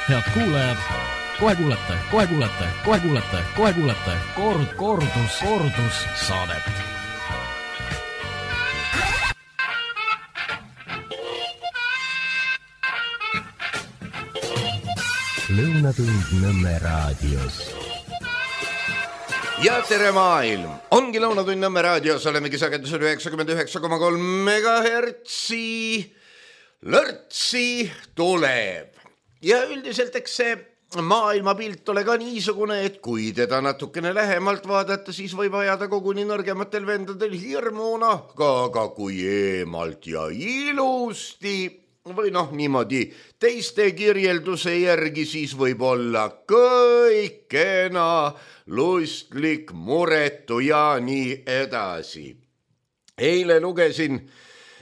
Head kuulajad, kohe kuulete kordus saadet. Lõunatund Nõmme raadios. Ja tere maailm! Ongi Lõunatund Nõmme raadios, olemegi sagedusel 99,3 megahertsi. Lörtsi tuleb. Ja üldiselt eks see maailmapilt ole ka niisugune, et kui teda natukene lähemalt vaadata, siis võib ajada koguni nõrgematel vendadel hirmuna, aga kui eemalt ja ilusti või niimoodi teiste kirjelduse järgi, siis võib olla kõik kena, lustlik, muretu ja nii edasi. Eile lugesin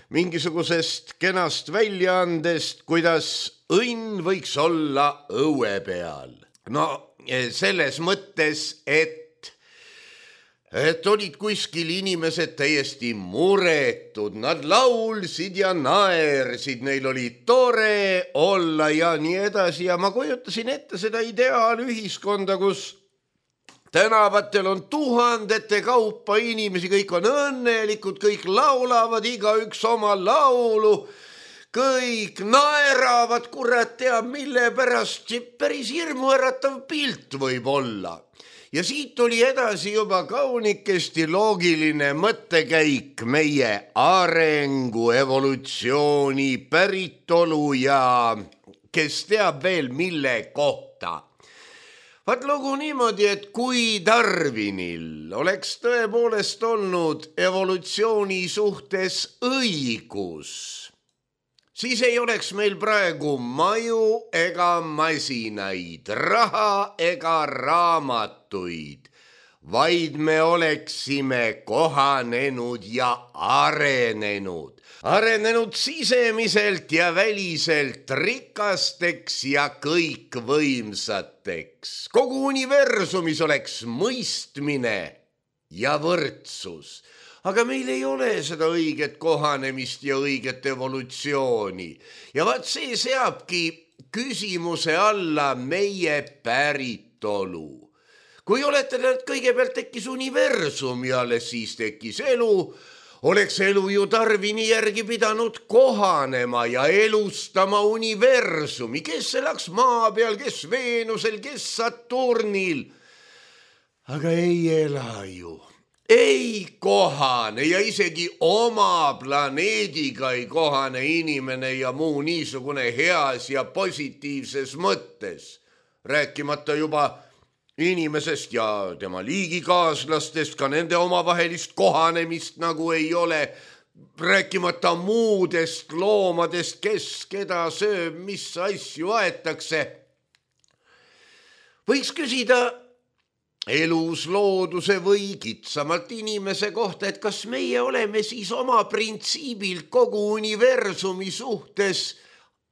mingisugusest kenast väljaandest, kuidas õnn võiks olla õue peal. Selles mõttes, et olid kuskil inimesed täiesti muretud, nad laulsid ja naersid, neil oli tore olla ja nii edasi ja ma kujutasin ette seda ideaalühiskonda, kus tänavatel on tuhandete kaupa inimesi, kõik on õnnelikud, kõik laulavad, igaüks oma laulu, kõik naeravad, kurat teab, mille pärast päris hirmuäratav pilt võib olla. Ja siit oli edasi juba kaunikesti loogiline mõttekäik meie arengu, evolutsiooni, päritolu ja kes teab veel mille kohta. Vaat lugu niimoodi, et kui Darwinil oleks tõepoolest olnud evolutsiooni suhtes õigus, siis ei oleks meil praegu maju ega masinaid, raha ega raamatuid, vaid me oleksime kohanenud ja arenenud. Arenenud sisemiselt ja väliselt rikasteks ja kõikvõimsateks. Kogu universumis oleks mõistmine ja võrdsus. Aga meil ei ole seda õiget kohanemist ja õiget evolutsiooni. Ja vaat see seabki küsimuse alla meie päritolu. Kui olete kõigepealt tekkis universum ja alles siis tekkis elu, oleks elu ju Darwini järgi pidanud kohanema ja elustama universumi. Kes elaks maa peal, kes Veenusel, kes Saturnil. Aga ei ela ju. Ei kohane ja isegi oma planeediga ei kohane inimene ja muu niisugune heas ja positiivses mõttes. Rääkimata juba inimesest ja tema liigikaaslastest, ka nende omavahelist kohanemist nagu ei ole, rääkimata muudest loomadest, kes keda sööb, mis asju aetakse. Võiks küsida elus looduse või kitsamalt inimese kohta, et kas meie oleme siis oma printsiibilt kogu universumi suhtes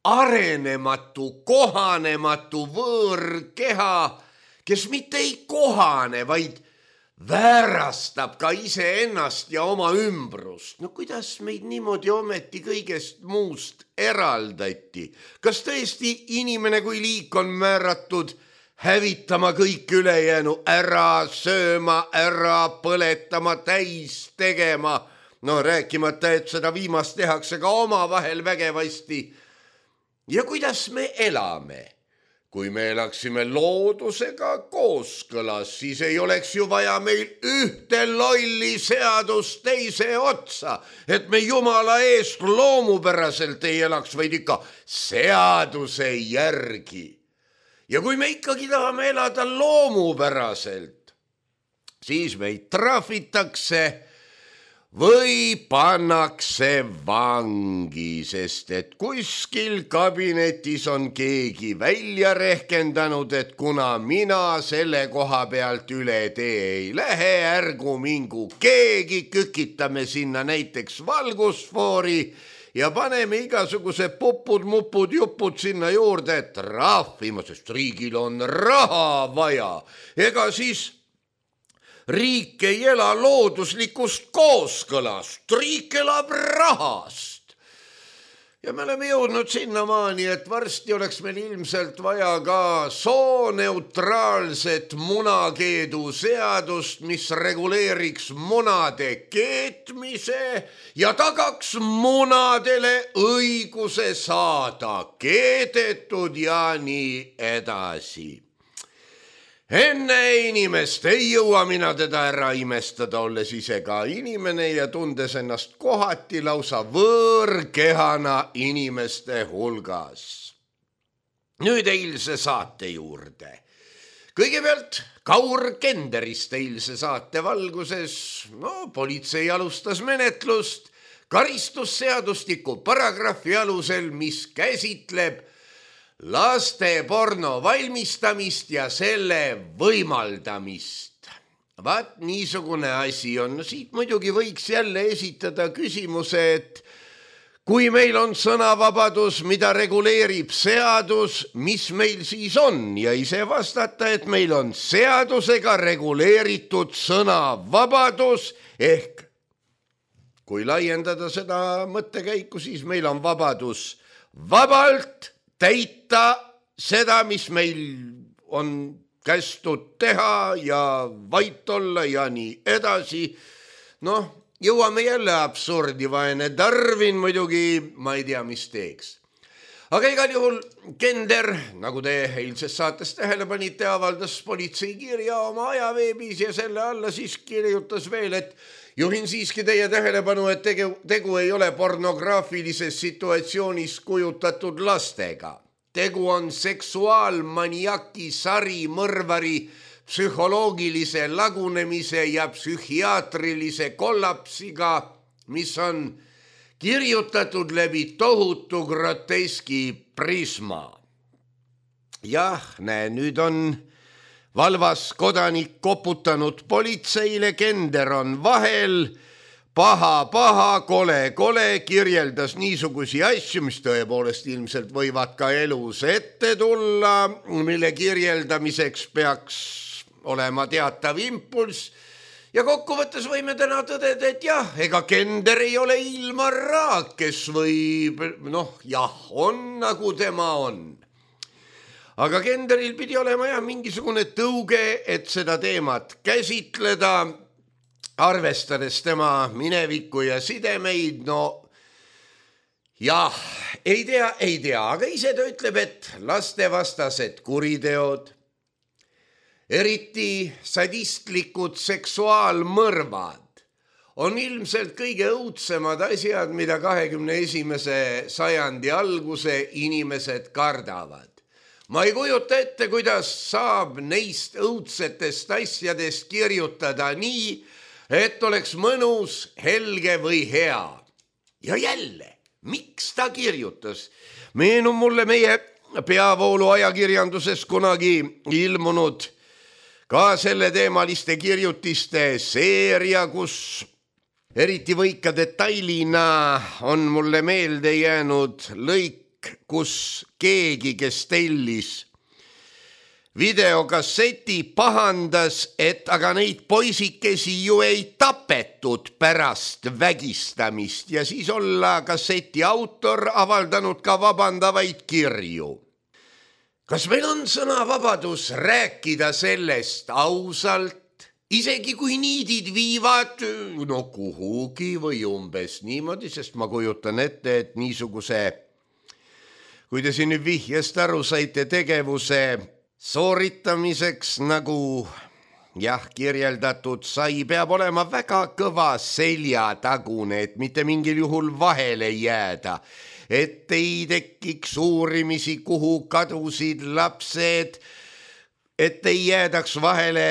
arenematu, kohanematu võõrkeha, kes mitte ei kohane, vaid väärastab ka iseennast ja oma ümbrust. Kuidas meid niimoodi ometi kõigest muust eraldati? Kas tõesti inimene kui liik on määratud hävitama kõik ülejäänu, ära sööma, ära põletama, täis tegema? Rääkimata, et seda viimast tehakse ka omavahel vägevasti. Ja kuidas me elame? Kui me elaksime loodusega kooskõlas, siis ei oleks ju vaja meil ühte lolli seadust teise otsa, et me Jumala eest loomupäraselt ei elaks, vaid ikka seaduse järgi. Ja kui me ikkagi tahame elada loomupäraselt, siis meid trahvitakse või pannakse vangi, sest et kuskil kabinetis on keegi välja rehkendanud, et kuna mina selle koha pealt üle tee ei lähe, ärgu mingu keegi, kükitame sinna näiteks valgusfoori ja paneme igasuguse pupud, jupud sinna juurde trahvima, sest riigil on raha vaja. Ega siis riik ei ela looduslikust kooskõlast, riik elab rahast. ja me oleme jõudnud sinnamaani, et varsti oleks meil ilmselt vaja ka sooneutraalset munakeedu seadust, mis reguleeriks munade keetmise ja tagaks munadele õiguse saada keedetud ja nii edasi. Enne inimest ei jõua mina teda ära imestada, olles ise ka inimene ja tundes ennast kohati lausa võõrkehana inimeste hulgas. Nüüd eilse saate juurde. Kõigepealt Kaur Kenderist eilse saate valguses. Politsei alustas menetlust karistusseadustiku paragrahvi alusel, mis käsitleb laste porno valmistamist ja selle võimaldamist. Vaat niisugune asi on. Siit muidugi võiks jälle esitada küsimuse, et kui meil on sõnavabadus, mida reguleerib seadus, mis meil siis on? Ja ise vastata, et meil on seadusega reguleeritud sõnavabadus ehk kui laiendada seda mõttekäiku, siis meil on vabadus vabalt täita seda, mis meil on kästud teha ja vait olla ja nii edasi. Jõuame jälle absurdi, vaene Darwin muidugi, ma ei tea, mis teeks. Aga igal juhul Kender, nagu te eilses saates tähele panite, avaldas politsei kirja oma ajaveebis ja selle alla siis kirjutas veel, et juhin siiski teie tähelepanu, et tegu ei ole pornograafilises situatsioonis kujutatud lastega. Tegu on seksuaalmaniaki sarimõrvari psühholoogilise lagunemise ja psühhiaatrilise kollapsiga, mis on kirjutatud läbi tohutu groteski prisma. Jah, näe, nüüd on valvas kodanik koputanud politseile, Kender on vahel, paha, kole, kirjeldas niisugusi asju, mis tõepoolest ilmselt võivad ka elus ette tulla, mille kirjeldamiseks peaks olema teatav impulss. Ja kokkuvõttes võime täna tõdeda, et jah, ega Kender ei ole Ilmar Raag, kes võib, on nagu tema on. Aga Kenderil pidi olema mingisugune tõuge, et seda teemat käsitleda, arvestades tema minevikku ja sidemeid. Ei tea, aga ise ta ütleb, et lastevastased kuriteod, eriti sadistlikud seksuaalmõrvad, on ilmselt kõige õudsemad asjad, mida 21. sajandi alguse inimesed kardavad. Ma ei kujuta ette, kuidas saab neist õudsetest asjadest kirjutada nii, et oleks mõnus, helge või hea. Ja jälle, miks ta kirjutas? Meenub mulle meie peavoolu ajakirjanduses kunagi ilmunud ka selle teemaliste kirjutiste seeria, kus eriti võika detailina on mulle meelde jäänud lõik, kus keegi, kes tellis videokasseti, pahandas, et aga neid poisikesi ju ei tapetud pärast vägistamist ja siis olla kasseti autor avaldanud ka vabandavaid kirju. Kas meil on sõnavabadus rääkida sellest ausalt, isegi kui niidid viivad kuhugi või umbes niimoodi, sest ma kujutan ette, et niisuguse, kui te siin nüüd vihjest aru saite, tegevuse sooritamiseks, nagu kirjeldatud sai, peab olema väga kõva seljatagune, et mitte mingil juhul vahele jääda, et ei tekiks uurimisi, kuhu kadusid lapsed, et ei jäädaks vahele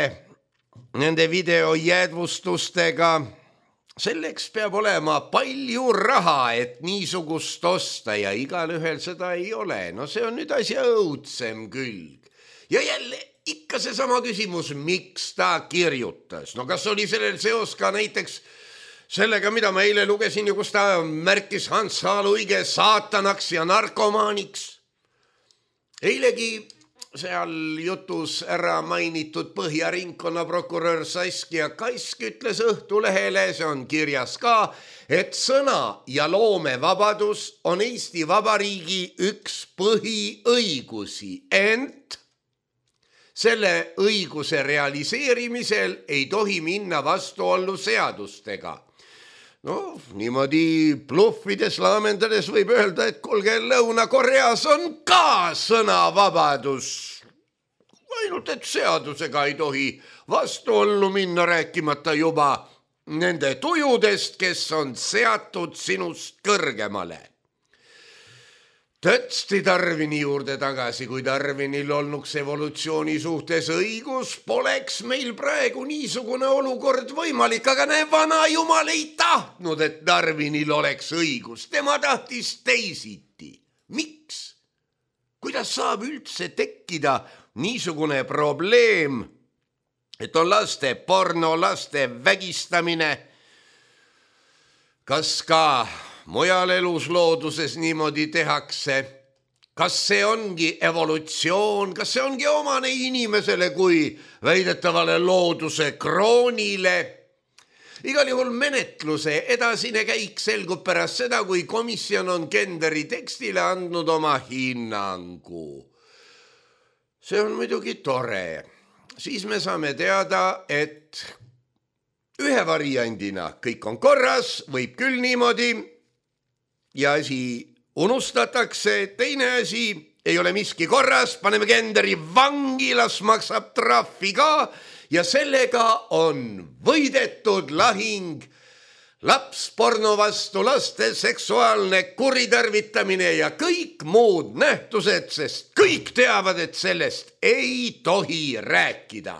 nende videojäädvustustega. Selleks peab olema palju raha, et niisugust osta ja igalühel seda ei ole. See on nüüd asja õudsem külg. Ja jälle ikka seesama küsimus, miks ta kirjutas. Kas oli sellel seos ka näiteks sellega, mida ma eile lugesin ja kus ta märkis Hans H. Luige saatanaks ja narkomaaniks. Eilegi seal jutus ära mainitud Põhja ringkonnaprokurör Saskia Kask ütles Õhtulehele, see on kirjas ka, et sõna- ja loomevabadus on Eesti Vabariigi üks põhiõigusi, ent selle õiguse realiseerimisel ei tohi minna vastuollu seadustega. No, niimoodi bluffides, laamendades võib öelda, et kuulge, Lõuna-Koreas on ka sõnavabadus. Ainult, et seadusega ei tohi vastuollu minna, rääkimata juba nende tujudest, kes on seatud sinust kõrgemale. Tõtsti Darwini juurde tagasi, kui Darwinil olnuks evolutsiooni suhtes õigus, poleks meil praegu niisugune olukord võimalik, aga näe, vana jumal ei tahtnud, et Darwinil oleks õigus. Tema tahtis teisiti. Miks? Kuidas saab üldse tekkida niisugune probleem, et on laste porno, laste vägistamine? Kas ka mujal eluslooduses niimoodi tehakse? Kas see ongi evolutsioon? Kas see ongi omane inimesele kui väidetavale looduse kroonile? Igal juhul menetluse edasine käik selgub pärast seda, kui komisjon on Kenderi tekstile andnud oma hinnangu. See on muidugi tore. Siis me saame teada, et ühe variandina kõik on korras, võib küll niimoodi, ja asi unustatakse, teine asi, ei ole miski korras, paneme Kenderi vangi, las maksab trahvi ka ja sellega on võidetud lahing lapsporno vastu, laste seksuaalne kuritarvitamine ja kõik muud nähtused, sest kõik teavad, et sellest ei tohi rääkida.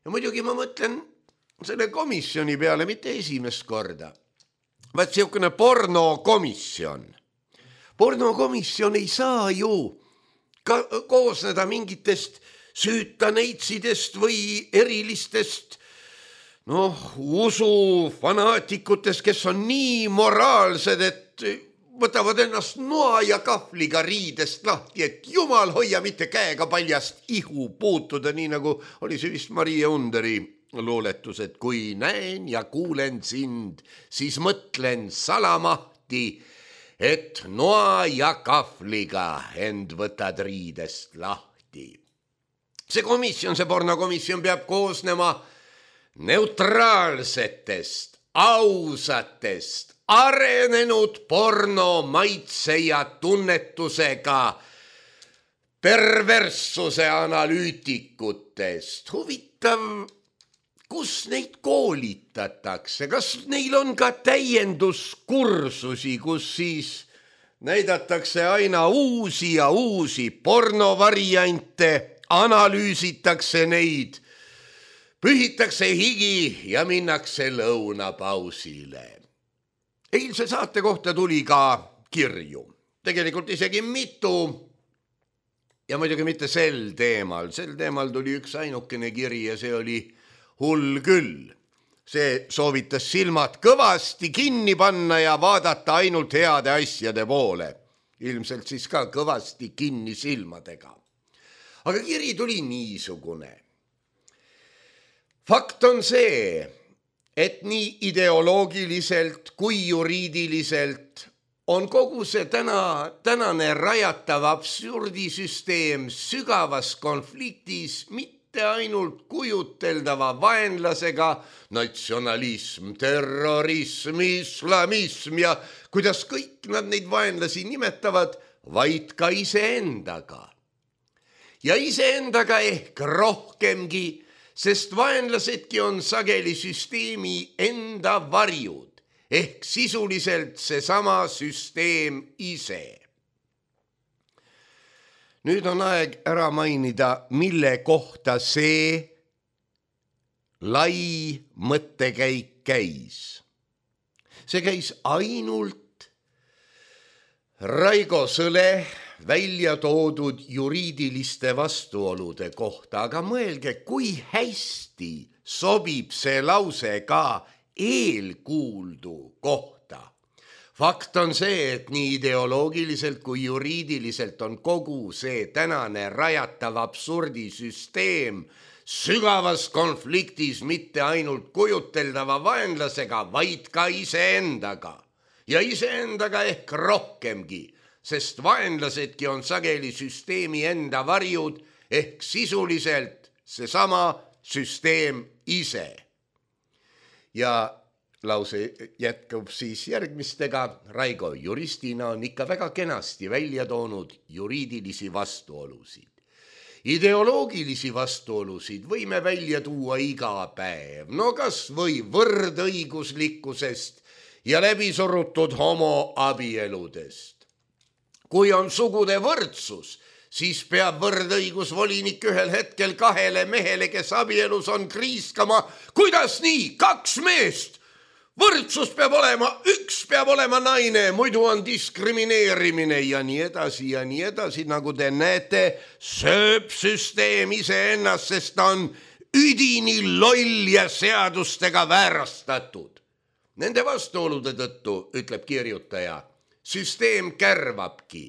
Ja muidugi ma mõtlen selle komisjoni peale mitte esimest korda. Vaat siukene pornokomisjon. Pornokomisjon ei saa ju koosneda mingitest süütaneitsidest või erilistest usufanaatikutest, kes on nii moraalsed, et võtavad ennast noa ja kahvliga riidest lahti, et jumal hoia mitte käega paljast ihu puutuda, nii nagu oli see vist Maria Underi luuletus, et kui näen ja kuulen sind, siis mõtlen salamahti, et noa ja kahvliga end võtad riidest lahti. See komisjon, see pornokomisjon peab koosnema neutraalsetest, ausatest, arenenud porno maitse ja tunnetusega perverssuse analüütikutest. Huvitav, kus neid koolitatakse? Kas neil on ka täienduskursusi, kus siis näidatakse aina uusi ja uusi pornovariante, analüüsitakse neid, pühitakse higi ja minnakse lõunapausile. Eilse saate kohta tuli ka kirju. Tegelikult isegi mitu. Ja muidugi mitte sel teemal. Sel teemal tuli üks ainukene kiri ja see oli hull küll. See soovitas silmad kõvasti kinni panna ja vaadata ainult heade asjade poole. Ilmselt siis ka kõvasti kinni silmadega. Aga kiri tuli niisugune. Fakt on see, et nii ideoloogiliselt kui juriidiliselt on kogu see tänane rajatav absurdisüsteem sügavas konfliktis mitte ainult kujuteldava vaenlasega, natsionalism, terrorism, islamism ja kuidas kõik nad neid vaenlasi nimetavad, vaid ka iseendaga. Ja iseendaga ehk rohkemgi, sest vaenlasedki on sageli süsteemi enda varjud, ehk sisuliselt seesama süsteem ise. Nüüd on aeg ära mainida, mille kohta see lai mõttekäik käis. See käis ainult Raigo Sõle välja toodud juriidiliste vastuolude kohta, aga mõelge, kui hästi sobib see lause ka eelkuuldu kohta. Fakt on see, et nii ideoloogiliselt kui juriidiliselt on kogu see tänane rajatav absurdisüsteem sügavas konfliktis mitte ainult kujuteldava vaenlasega, vaid ka iseendaga. Ja iseendaga ehk rohkemgi, sest vaenlasedki on sageli süsteemi enda varjud ehk sisuliselt seesama süsteem ise. Ja lause jätkub siis järgmistega. Raigo juristina on ikka väga kenasti välja toonud juriidilisi vastuolusid. Ideoloogilisi vastuolusid võime välja tuua iga päev, no kas või võrdõiguslikkusest ja läbisurutud homoabieludest. Kui on sugude võrdsus, siis peab võrdõigusvolinik ühel hetkel 2 mehele, kes abielus on, kriiskama, kuidas nii, 2 meest? Võrdsus peab olema, 1 peab olema naine, muidu on diskrimineerimine ja nii edasi, nagu te näete, sööb süsteem iseennast, sest ta on üdini loll ja seadustega väärastatud. Nende vastuolude tõttu, ütleb kirjutaja, süsteem kärvabki.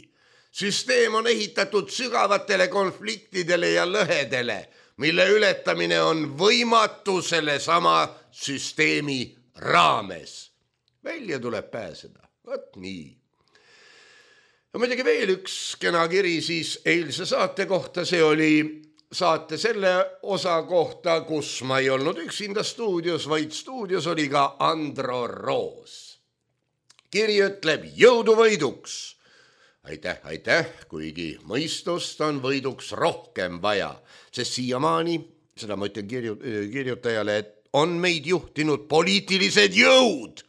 Süsteem on ehitatud sügavatele konfliktidele ja lõhedele, mille ületamine on võimatu selle sama süsteemi raames. Välja tuleb pääseda. Võt nii. Ja muidugi veel üks kena kiri siis eilse saate kohta. See oli saate selle osa kohta, kus ma ei olnud üksinda stuudios, vaid stuudios oli ka Andro Roos. Kiri ütleb jõudu võiduks. Aitäh, kuigi mõistust on võiduks rohkem vaja, sest siiamaani, seda ma ütlen kirjutajale, et on meid juhtinud poliitilised jõud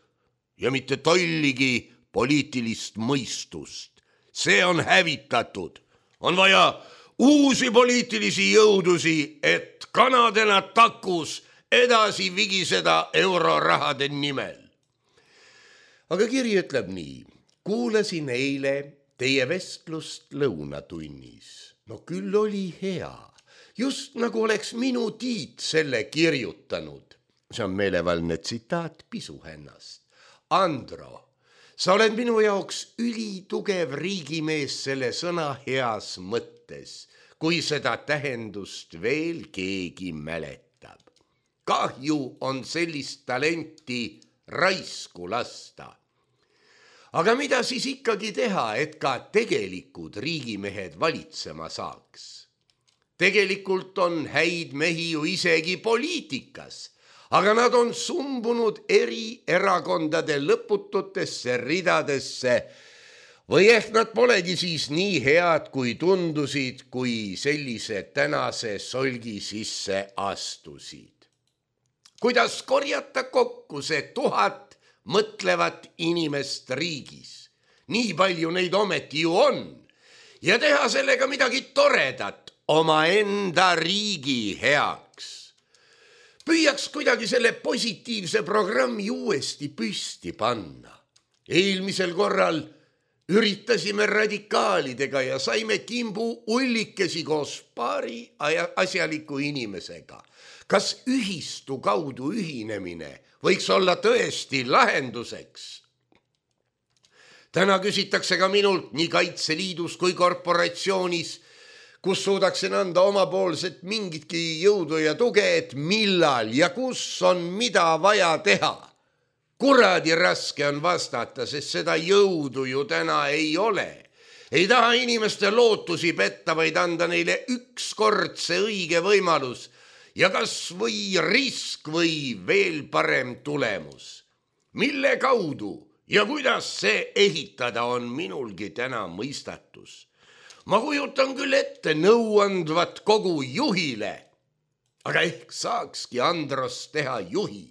ja mitte tolligi poliitilist mõistust. See on hävitatud. On vaja uusi poliitilisi jõudusi, et kanadena takus edasi vigiseda eurorahade nimel. Aga kiri ütleb nii. Kuulasin eile teie vestlust lõunatunnis. No küll oli hea. Just nagu oleks minu Tiit selle kirjutanud. See on meelevaldne tsitaat Pisuhännast. Andro, sa oled minu jaoks ülitugev riigimees selle sõna heas mõttes, kui seda tähendust veel keegi mäletab. Kahju on sellist talenti raisku lasta. Aga mida siis ikkagi teha, et ka tegelikud riigimehed valitsema saaks? Tegelikult on häid mehi ju isegi poliitikas, aga nad on sumbunud eri erakondade lõpututesse ridadesse või ehk nad polegi siis nii head, kui tundusid, kui sellise tänase solgi sisse astusid. Kuidas korjata kokku see 1000 mõtlevat inimest riigis? Nii palju neid ometi ju on. Ja teha sellega midagi toredat omaenda riigi heaks. Püüaks kuidagi selle positiivse programmi uuesti püsti panna. Eelmisel korral üritasime radikaalidega ja saime kimbu ullikesi koos paari asjaliku inimesega. Kas ühistu kaudu ühinemine võiks olla tõesti lahenduseks? Täna küsitakse ka minult nii Kaitseliidus kui korporatsioonis, kus suudaksin anda omapoolset mingitki jõudu ja tuge, et millal ja kus on mida vaja teha. Kuradi raske on vastata, sest seda jõudu ju täna ei ole. Ei taha inimeste lootusi petta, vaid anda neile ükskord see õige võimalus ja kas või risk või veel parem tulemus. Mille kaudu ja kuidas see ehitada on minulgi täna mõistatus. Ma kujutan küll ette nõuandvat kogu juhile, aga ehk saakski Androst teha juhi,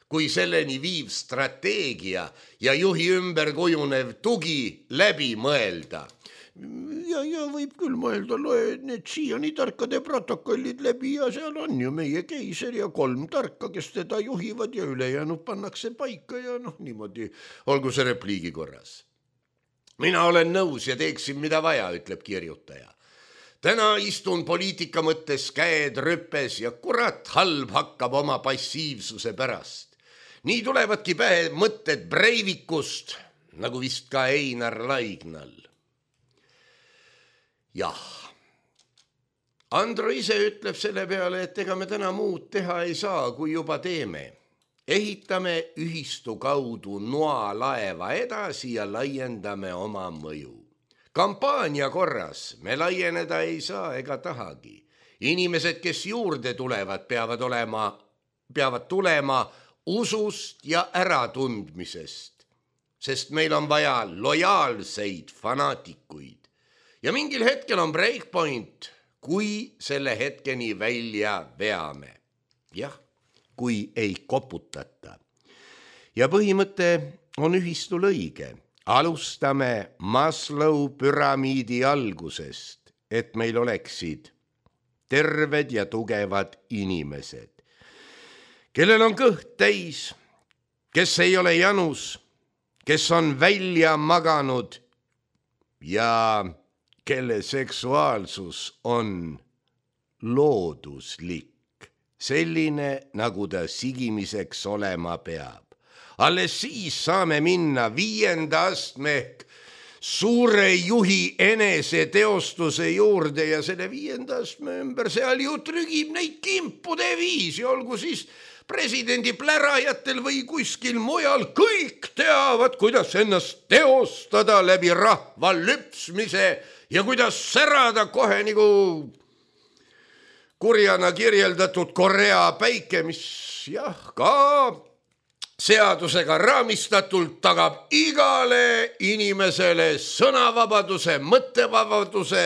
kui selleni viiv strateegia ja juhi ümber kujunev tugi läbi mõelda. Ja võib küll mõelda, loe need siiani tarkade protokollid läbi ja seal on ju meie keiser ja 3 tarka, kes teda juhivad ja ülejäänud pannakse paika ja niimoodi olgu see repliigi korras. Mina olen nõus ja teeksin mida vaja, ütleb kirjutaja. Täna istun poliitika mõttes käed rüppes ja kurat halb hakkab oma passiivsuse pärast. Nii tulevadki pähe mõtted Breivikust, nagu vist ka Einar Laignal. Jah, Andro ise ütleb selle peale, et ega me täna muud teha ei saa, kui juba teeme. Ehitame ühistu kaudu noalaeva edasi ja laiendame oma mõju. Kampaania korras me laieneda ei saa ega tahagi. Inimesed, kes juurde tulevad, peavad tulema usust ja äratundmisest, sest meil on vaja lojaalseid fanaatikuid. Ja mingil hetkel on breakpoint, kui selle hetkeni välja veame. Jah, kui ei koputata. Ja põhimõte on ühistul õige. Alustame Maslow püramiidi algusest, et meil oleksid terved ja tugevad inimesed, kellel on kõht täis, kes ei ole janus, kes on välja maganud ja kelle seksuaalsus on looduslik, selline, nagu ta sigimiseks olema peab. Alles siis saame minna 5. astme ehk suure juhi enese teostuse juurde ja selle 5. astme ümber seal ju trügib neid kimpude viisi, olgu siis presidendi plärajatel või kuskil mujal, kõik teavad, kuidas ennast teostada läbi rahva lüpsmise ja kuidas särada kohe nagu kurjana kirjeldatud Korea päike, mis jah, ka seadusega raamistatult tagab igale inimesele sõnavabaduse, mõttevabaduse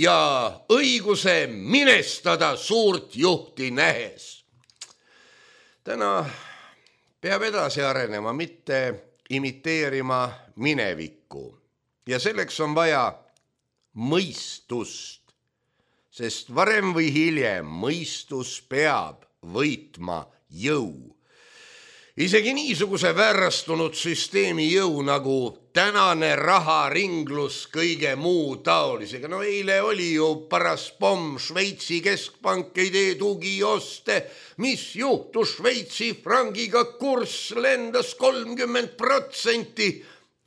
ja õiguse minestada suurt juhti nähes. Täna peab edasi arenema, mitte imiteerima minevikku. Ja selleks on vaja mõistust, sest varem või hiljem mõistus peab võitma jõu. Isegi niisuguse väärastunud süsteemi jõu nagu tänane raharinglus kõige muu taolisega. No eile oli ju paras pomm, Šveitsi keskpank ei tee tugioste. Mis juhtus Šveitsi frangiga? Kurss lendas 30%.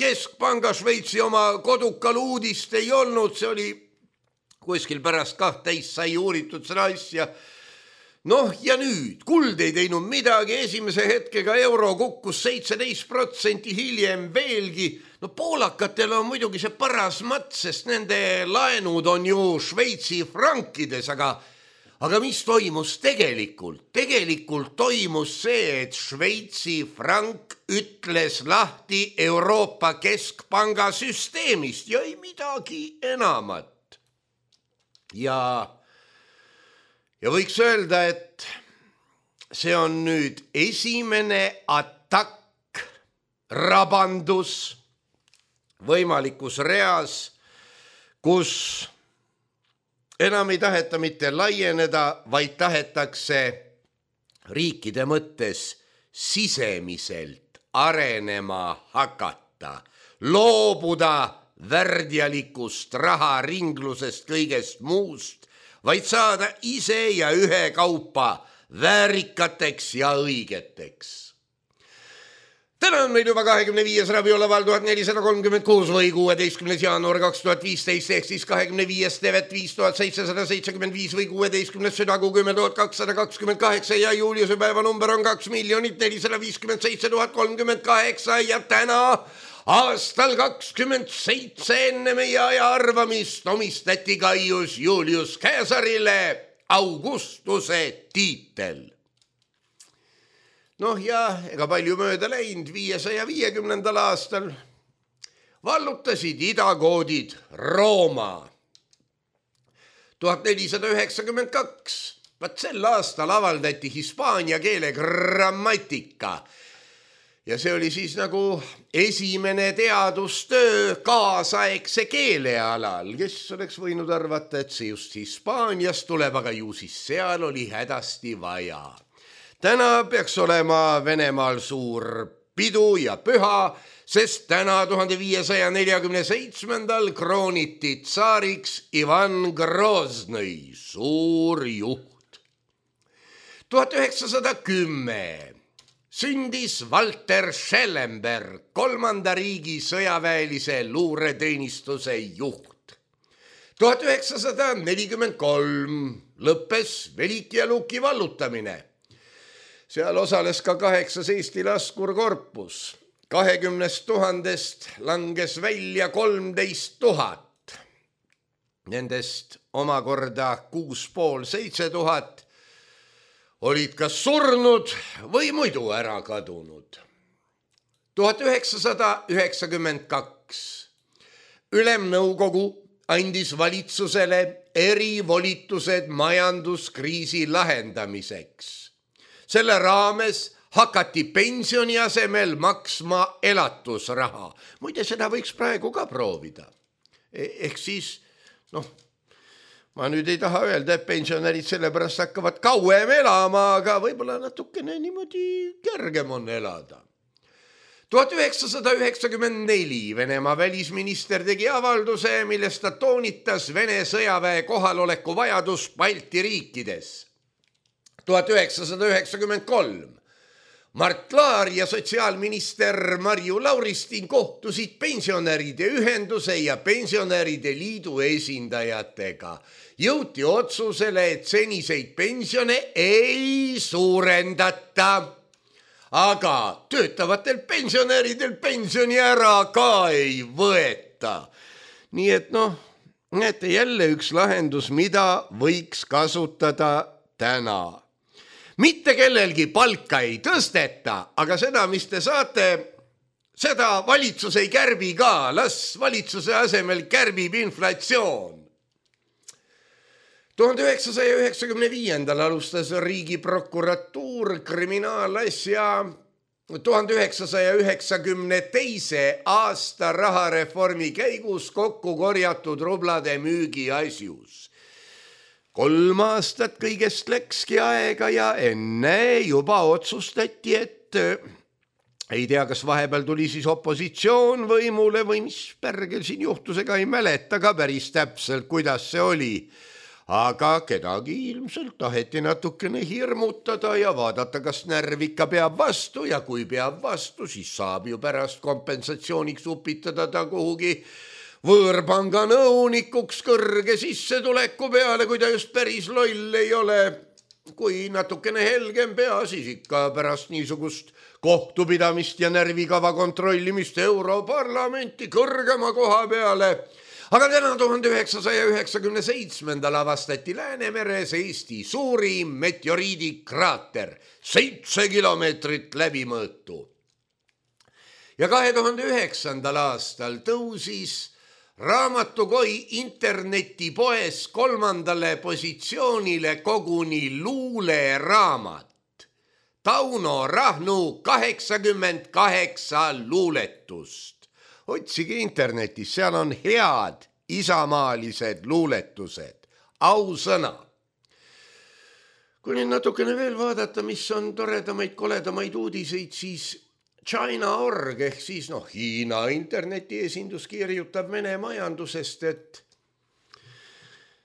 Keskpanga Šveitsi oma kodukal uudist ei olnud. See oli kuskil pärast 12 sai uuritud seda asja. Noh, ja nüüd, kuld ei teinud midagi, esimese hetkega euro kukkus 17%, hiljem veelgi. No poolakatel on muidugi see paras mats, sest nende laenud on ju Šveitsi frankides, aga mis toimus tegelikult? Tegelikult toimus see, et Šveitsi frank ütles lahti Euroopa Keskpanga süsteemist ja ei midagi enamat. Ja võiks öelda, et see on nüüd esimene atakk, rabandus võimalikus reas, kus enam ei taheta mitte laieneda, vaid tahetakse riikide mõttes sisemiselt arenema hakata, loobuda värdjalikust raharinglusest kõigest muust, vaid saada ise ja ühe kaupa väärikateks ja õigeteks. Täna on meil juba 25. rabiolaval 1436 või 16. jaanuar 2015 ehk siis 25. tevet 5775 või 16. südakuu 10 228 ja Juliuse päeva number on 2 457 038 ja täna aastal 27 enne meie aja arvamist omistati Gaius Julius Caesarile Augustuse tiitel. Noh ja ega palju mööda läinud 550. aastal vallutasid idakoodid Rooma. 1492, vaat sel aastal avaldati hispaania keele grammatika. Ja see oli siis nagu esimene teadustöö kaasaegse keele alal, kes oleks võinud arvata, et see just Hispaaniast tuleb, aga ju siis seal oli hädasti vaja. Täna peaks olema Venemaal suur pidu ja püha, sest täna 1547. krooniti tsaariks Ivan Groznoi, suur juht. 1910. sündis Walter Schellenberg, 3. riigi sõjaväelise luureteenistuse juht. 1943 lõppes Veliki ja Luki vallutamine. Seal osales ka 8 Eesti laskurkorpus. 20 000 langes välja 13 000. Nendest omakorda 6,5–7 000 olid kas surnud või muidu ära kadunud. 1992 Ülemnõukogu andis valitsusele erivolitused majanduskriisi lahendamiseks. Selle raames hakati pensioni asemel maksma elatusraha. Muide, seda võiks praegu ka proovida. Ehk siis, ma nüüd ei taha öelda, et pensionärid sellepärast hakkavad kauem elama, aga võib-olla natukene niimoodi kergem on elada. 1994 Venemaa välisminister tegi avalduse, milles ta toonitas Vene sõjaväe kohaloleku vajadust Balti riikides. 1993 Mart Laar ja sotsiaalminister Marju Lauristin kohtusid pensionäride ühenduse ja pensionäride liidu esindajatega. Jõuti otsusele, et seniseid pensione ei suurendata, aga töötavatel pensionäridel pensioni ära ka ei võeta. Nii et näete jälle üks lahendus, mida võiks kasutada täna. Mitte kellelgi palka ei tõsteta, aga seda, mis te saate, seda valitsus ei kärbi ka. Las valitsuse asemel kärbib inflatsioon. 1995 alustas Riigiprokuratuur kriminaalasja 1992. aasta rahareformi käigus kokku korjatud rublade müügi asjus. 3 aastat kõigest läkski aega ja enne juba otsustati, et ei tea, kas vahepeal tuli siis opositsioon võimule või mis pärgel siin juhtus, ega ei mäleta ka päris täpselt, kuidas see oli. Aga kedagi ilmselt taheti natukene hirmutada ja vaadata, kas närv ikka peab vastu ja kui peab vastu, siis saab ju pärast kompensatsiooniks upitada ta kuhugi võõrpanga nõunikuks kõrge sissetuleku peale, kui ta just päris loll ei ole. Kui natukene helgem pea, siis ikka pärast niisugust kohtupidamist ja närvikava kontrollimist Europarlamenti kõrgema koha peale. Aga täna 1997 avastati Läänemeres Eesti suurim meteoriidikraater, 7 kilomeetrit läbimõõtu. Ja 2009. aastal tõusis Raamatukoi internetipoes 3. positsioonile koguni luuleraamat. Tauno Rahnu 88 luuletust. Otsige internetis, seal on head isamaalised luuletused, ausõna. Kui nüüd natukene veel vaadata, mis on toredamaid, koledamaid uudiseid, siis China.org ehk siis Hiina internetiesindus kirjutab Vene majandusest, et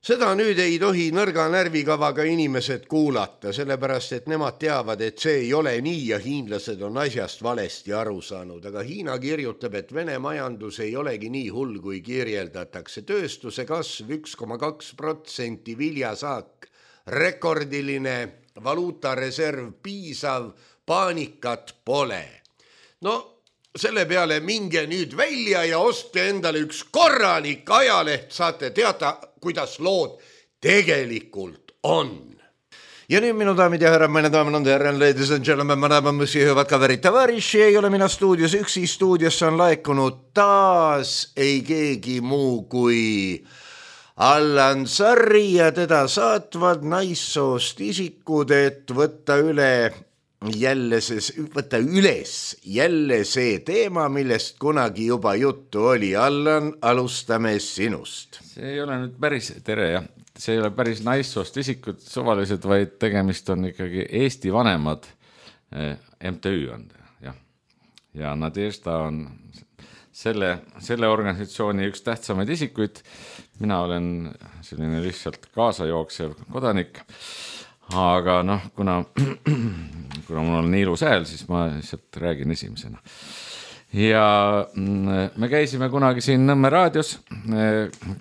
seda nüüd ei tohi nõrga närvikavaga inimesed kuulata, sellepärast et nemad teavad, et see ei ole nii ja hiinlased on asjast valesti aru saanud. Aga Hiina kirjutab, et Vene majandus ei olegi nii hull, kui kirjeldatakse. Tööstuse kasv 1,2%, viljasaak rekordiline, valuutareserv piisav, paanikat pole. Selle peale minge nüüd välja ja ostke endale üks korralik ajaleht, saate teada, kuidas lood tegelikult on. Ja nüüd minu daamid ja härrad, meine daamid on herren, ladies and gentlemen, madame, monsieur, hüvad kaverid, tavariši, ei ole mina stuudios üksi, stuudiosse on laekunud taas ei keegi muu kui Allan Sarri ja teda saatvad naissoost isikud, et võtta üles jälle see teema, millest kunagi juba juttu oli. Allan, alustame sinust. See ei ole nüüd päris, tere jah, see ei ole päris naissoost isikud suvalised, vaid tegemist on ikkagi Eesti vanemad MTÜ on. Ja Nadežda on selle organisatsiooni üks tähtsamaid isikuid. Mina olen selline lihtsalt kaasajooksev kodanik. aga noh, kuna mul on nii ilus hääl, siis ma lihtsalt räägin esimesena. Ja me käisime kunagi siin Nõmme raadios,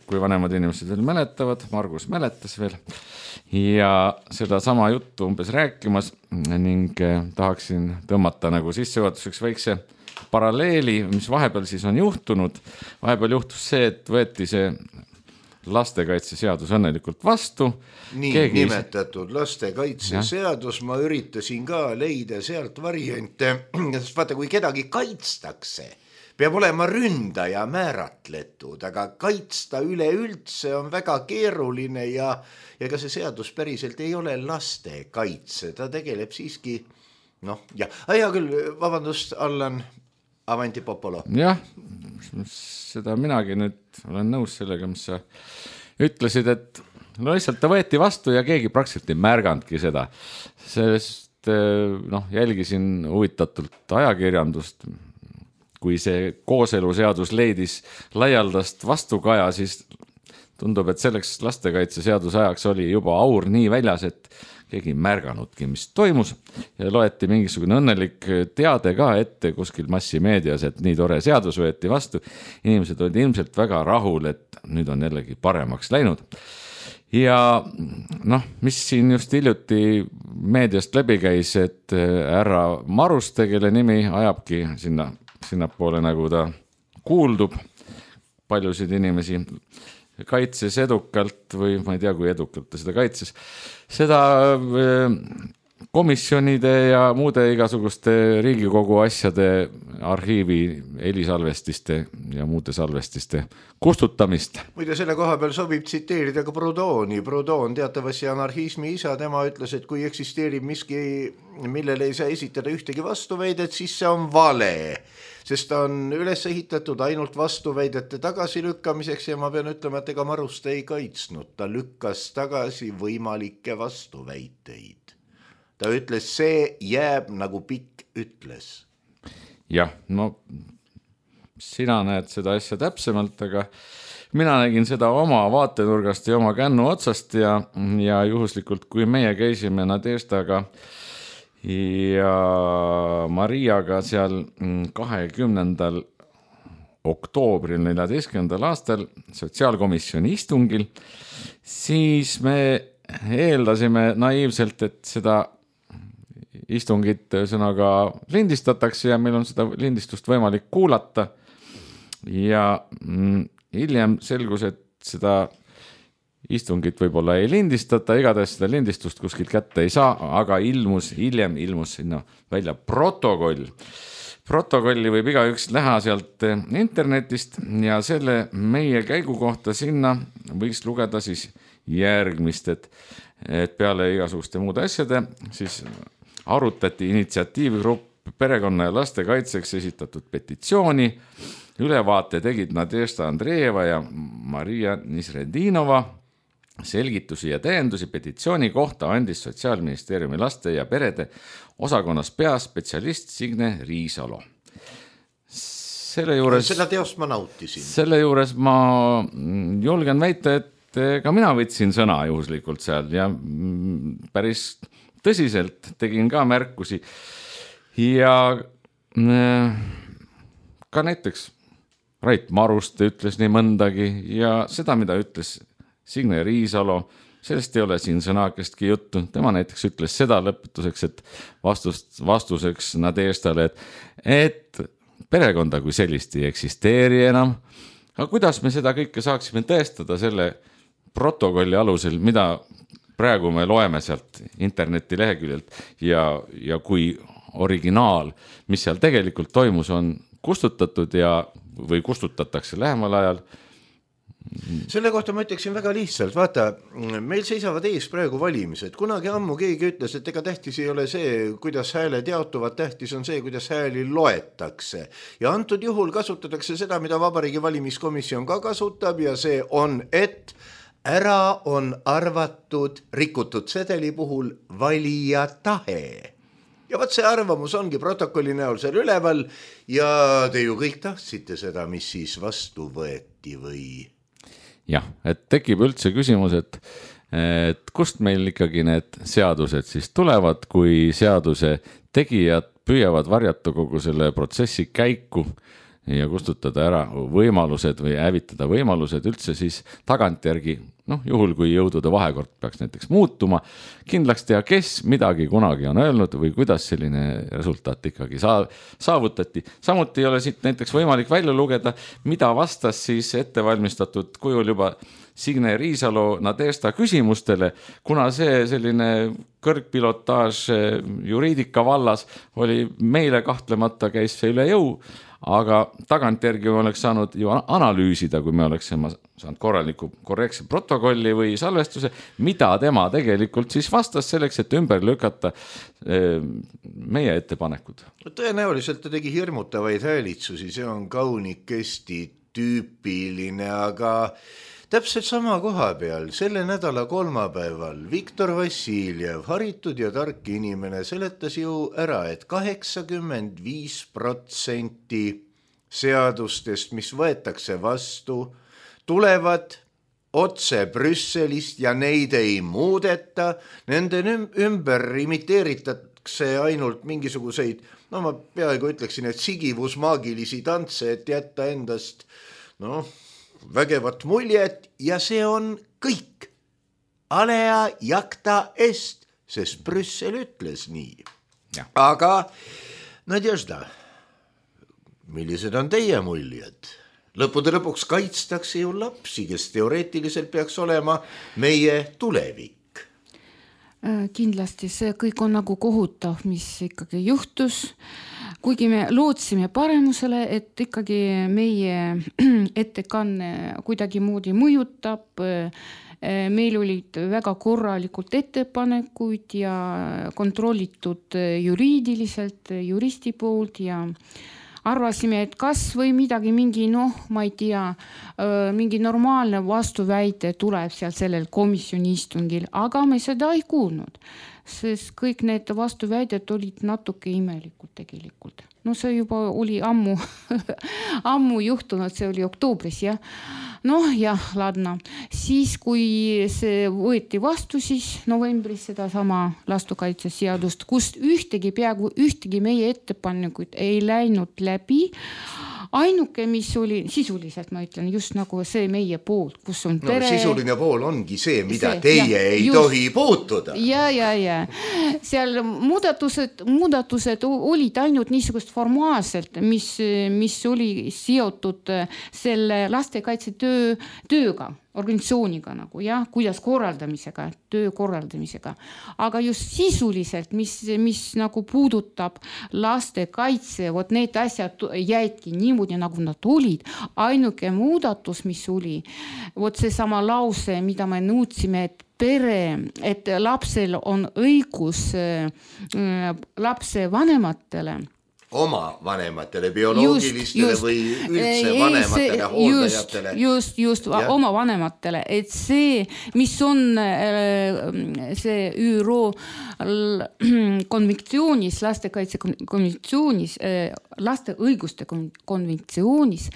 kui vanemad inimesed veel mäletavad, Margus mäletas veel, ja seda sama juttu umbes rääkimas ning tahaksin tõmmata nagu sissejuhatuseks väikse paralleeli, mis vahepeal siis on juhtunud. Vahepeal juhtus see, et võeti see lastekaitseseadus õnnelikult vastu. Nii nimetatud lastekaitseseadus, ma üritasin ka leida sealt variante, sest vaata, kui kedagi kaitstakse, peab olema ründaja määratletud, aga kaitsta üleüldse on väga keeruline ja ka see seadus päriselt ei ole lastekaitse, ta tegeleb siiski, hea küll, vabandust, Allan, avanti popolo. Jah, seda minagi nüüd olen nõus sellega, mis sa ütlesid, et lihtsalt ta võeti vastu ja keegi praktiliselt ei märgandki seda. Sest jälgisin huvitatult ajakirjandust, kui see kooseluseadus leidis laialdast vastukaja, siis tundub, et selleks lastekaitseseaduse ajaks oli juba aur nii väljas, et keegi ei märganudki, mis toimus ja loeti mingisugune õnnelik teade ka ette kuskil massimeedias, et nii tore seadus võeti vastu. Inimesed olid ilmselt väga rahul, et nüüd on jällegi paremaks läinud. Ja mis siin just hiljuti meediast läbi käis, et härra Maruste, kelle nimi ajabki sinnapoole, nagu ta kuuldub paljusid inimesi, kaitses edukalt või ma ei tea, kui edukalt ta seda kaitses, seda komisjonide ja muude igasuguste Riigikogu asjade arhiivi helisalvestiste ja muude salvestiste kustutamist. Muide, selle koha peal sobib tsiteerida ka Proudhoni. Proudhon teatavasti anarhismi isa, tema ütles, et kui eksisteerib miski, millele ei saa esitada ühtegi vastuväidet, siis see on vale. Sest ta on üles ehitatud ainult vastuväidete tagasilükkamiseks ja ma pean ütlema, et ega Maruste ei kaitsnud. Ta lükkas tagasi võimalikke vastuväiteid. Ta ütles, see jääb nagu Pikk ütles. Jah, sina näed seda asja täpsemalt, aga mina nägin seda oma vaatenurgast ja oma kännu otsast ja juhuslikult, kui meie käisime Nadešdaga ja Mariaga seal 20. oktoobril 14. aastal sotsiaalkomisjoni istungil, siis me eeldasime naiivselt, et seda istungit ühesõnaga lindistatakse ja meil on seda lindistust võimalik kuulata. Ja hiljem selgus, et seda istungit võib-olla ei lindistata, igatahes seda lindistust kuskilt kätte ei saa, aga hiljem ilmus sinna välja protokoll. Protokolli võib igaüks näha sealt internetist ja selle meie käigu kohta sinna võiks lugeda siis järgmist, et peale igasuguste muude asjade siis arutati initsiatiivgrupp perekonna ja laste kaitseks esitatud petitsiooni. Ülevaate tegid Nadešda Andreeva ja Maria Nisredinova. Selgitusi ja täiendusi petitsiooni kohta andis Sotsiaalministeeriumi laste ja perede osakonnas peaspetsialist Signe Riisalo. Seda teost ma nautisin. Selle juures ma julgen väita, et ka mina võtsin sõna juhuslikult seal ja päris tõsiselt tegin ka märkusi ja ka näiteks Rait Maruste ütles nii mõndagi ja seda, mida ütles Signe Riisalo, sellest ei ole siin sõnakestki juttu. Tema näiteks ütles seda lõpetuseks, et vastuseks Nadešdale, et perekonda kui sellist ei eksisteeri enam. Aga kuidas me seda kõike saaksime tõestada selle protokolli alusel, mida praegu me loeme sealt interneti leheküljelt ja kui originaal, mis seal tegelikult toimus, on kustutatud või kustutatakse lähemal ajal. Selle kohta ma ütleksin väga lihtsalt, vaata, meil seisavad ees praegu valimised. Kunagi ammu keegi ütles, et ega tähtis ei ole see, kuidas hääled jaotuvad, tähtis on see, kuidas hääli loetakse. Ja antud juhul kasutatakse seda, mida Vabariigi valimiskomisjon ka kasutab ja see on, et ära on arvatud rikutud sedeli puhul valija tahe. Ja vaat see arvamus ongi protokolli näol seal üleval ja te ju kõik tahtsite seda, mis siis vastu võeti või... Jah, et tekib üldse küsimus, et kust meil ikkagi need seadused siis tulevad, kui seaduse tegijad püüavad varjata kogu selle protsessi käiku ja kustutada ära võimalused või hävitada võimalused üldse siis tagantjärgi, juhul kui jõudude vahekord peaks näiteks muutuma, kindlaks teha, kes midagi kunagi on öelnud või kuidas selline resultaat ikkagi saavutati. Samuti ei ole siit näiteks võimalik välja lugeda, mida vastas siis ettevalmistatud kujul juba Signe Riisalo Nadesta küsimustele, kuna see selline kõrgpilotaaž juriidika vallas oli meile kahtlemata käis see üle jõu, aga tagantjärgi oleks saanud ju analüüsida, kui me oleksime saanud korraliku korrektse protokolli või salvestuse, mida tema tegelikult siis vastas selleks, et ümber lükata meie ettepanekud. Tõenäoliselt ta tegi hirmutavaid häälitsusi, see on kaunikesti tüüpiline, aga täpselt sama koha peal, selle nädala kolmapäeval Viktor Vassiljev, haritud ja tark inimene, seletas ju ära, et 85% seadustest, mis võetakse vastu, tulevad otse Brüsselist ja neid ei muudeta, nende ümber imiteeritakse ainult mingisuguseid, ma peaaegu ütleksin, et sigivusmaagilisi tantse, et jätta endast, vägevat muljet ja see on kõik. Alea jacta est, sest Brüssel ütles nii. Ja. Aga Nadježda, millised on teie muljed? Lõppude lõpuks kaitstakse ju lapsi, kes teoreetiliselt peaks olema meie tulevik. Kindlasti see kõik on nagu kohutav, mis ikkagi juhtus. Kuigi me lootsime paremusele, et ikkagi meie ettekanne kuidagi moodi mõjutab, meil olid väga korralikult ettepanekuid ja kontrollitud juriidiliselt, juristi poolt ja arvasime, et kas või midagi, ma ei tea, mingi normaalne vastuväite tuleb seal sellel komisjoni istungil, aga me seda ei kuulnud. Sest kõik need vastuväidet olid natuke imelikud tegelikult. See juba oli ammu juhtunud, see oli oktoobris, jah. Ladna. Siis, kui see võeti vastu, siis novembris seda sama lastekaitseseadust, kust peaaegu ühtegi meie ettepanekuid ei läinud läbi. Ainuke, mis oli sisuliselt, ma ütlen, just nagu see meie poolt, kus on pere. Sisuline pool ongi see, mida teie ei tohi puutuda. Ja. Seal muudatused olid ainult niisugust formaalselt, mis oli seotud selle lastekaitse tööga, organisatsiooniga kuidas töö korraldamisega. Aga just sisuliselt, mis nagu puudutab lastekaitse, need asjad jäidki niimoodi, nagu nad olid. Ainuke muudatus, mis oli, see sama lause, mida me nõudsime, et lapsel on õigus lapse vanematele, oma vanematele, bioloogilistele või üldse vanematele, hooldajatele. Just, oma vanematele. Et see, mis on see ÜRO konventsioonis, lastekaitse konventsioonis, laste õiguste konventsioonis,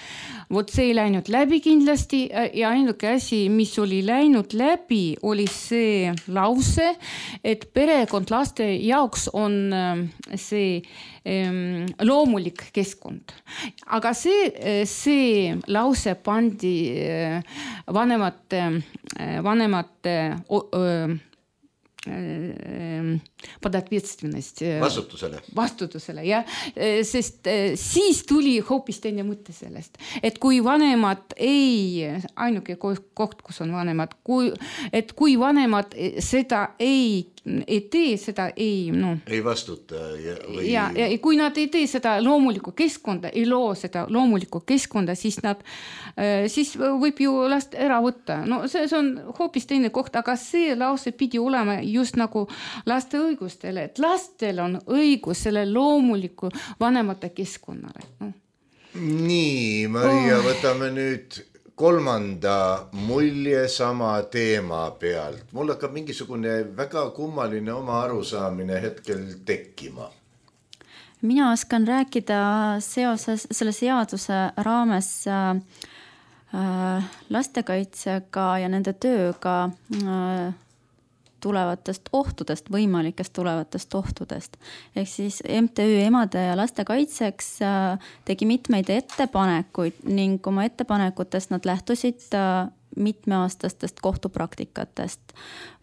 see ei läinud läbi kindlasti ja ainuke asi, mis oli läinud läbi, oli see lause, et perekond laste jaoks on see loomulik keskkond. Aga see lause pandi vanemate под ответственность. Vastutusele, jah. Sest siis tuli hoopis teine mõte sellest. Et kui vanemad ainuke koht, kus on vanemad, kui vanemad seda ei tee, seda ei vastuta. Ja kui nad ei tee seda loomulikku keskkonda, ei loo seda loomulikku keskkonda, siis võib ju last ära võtta. See on hoopis teine koht, aga see lause pidi olema just nagu laste õigustele, et lastel on õigus selle loomuliku vanemate keskkonnale. Nii, Maria, võtame nüüd kolmanda mulje sama teema pealt. Mul hakkab mingisugune väga kummaline oma arusaamine hetkel tekkima. Mina oskan rääkida seoses selle seaduse raames lastekaitsega ja nende tööga tulevatest ohtudest, võimalikest tulevatest ohtudest. Ehk siis MTÜ Emade ja laste kaitseks tegi mitmeid ettepanekuid ning oma ettepanekutest nad lähtusid mitmeaastastest kohtupraktikatest.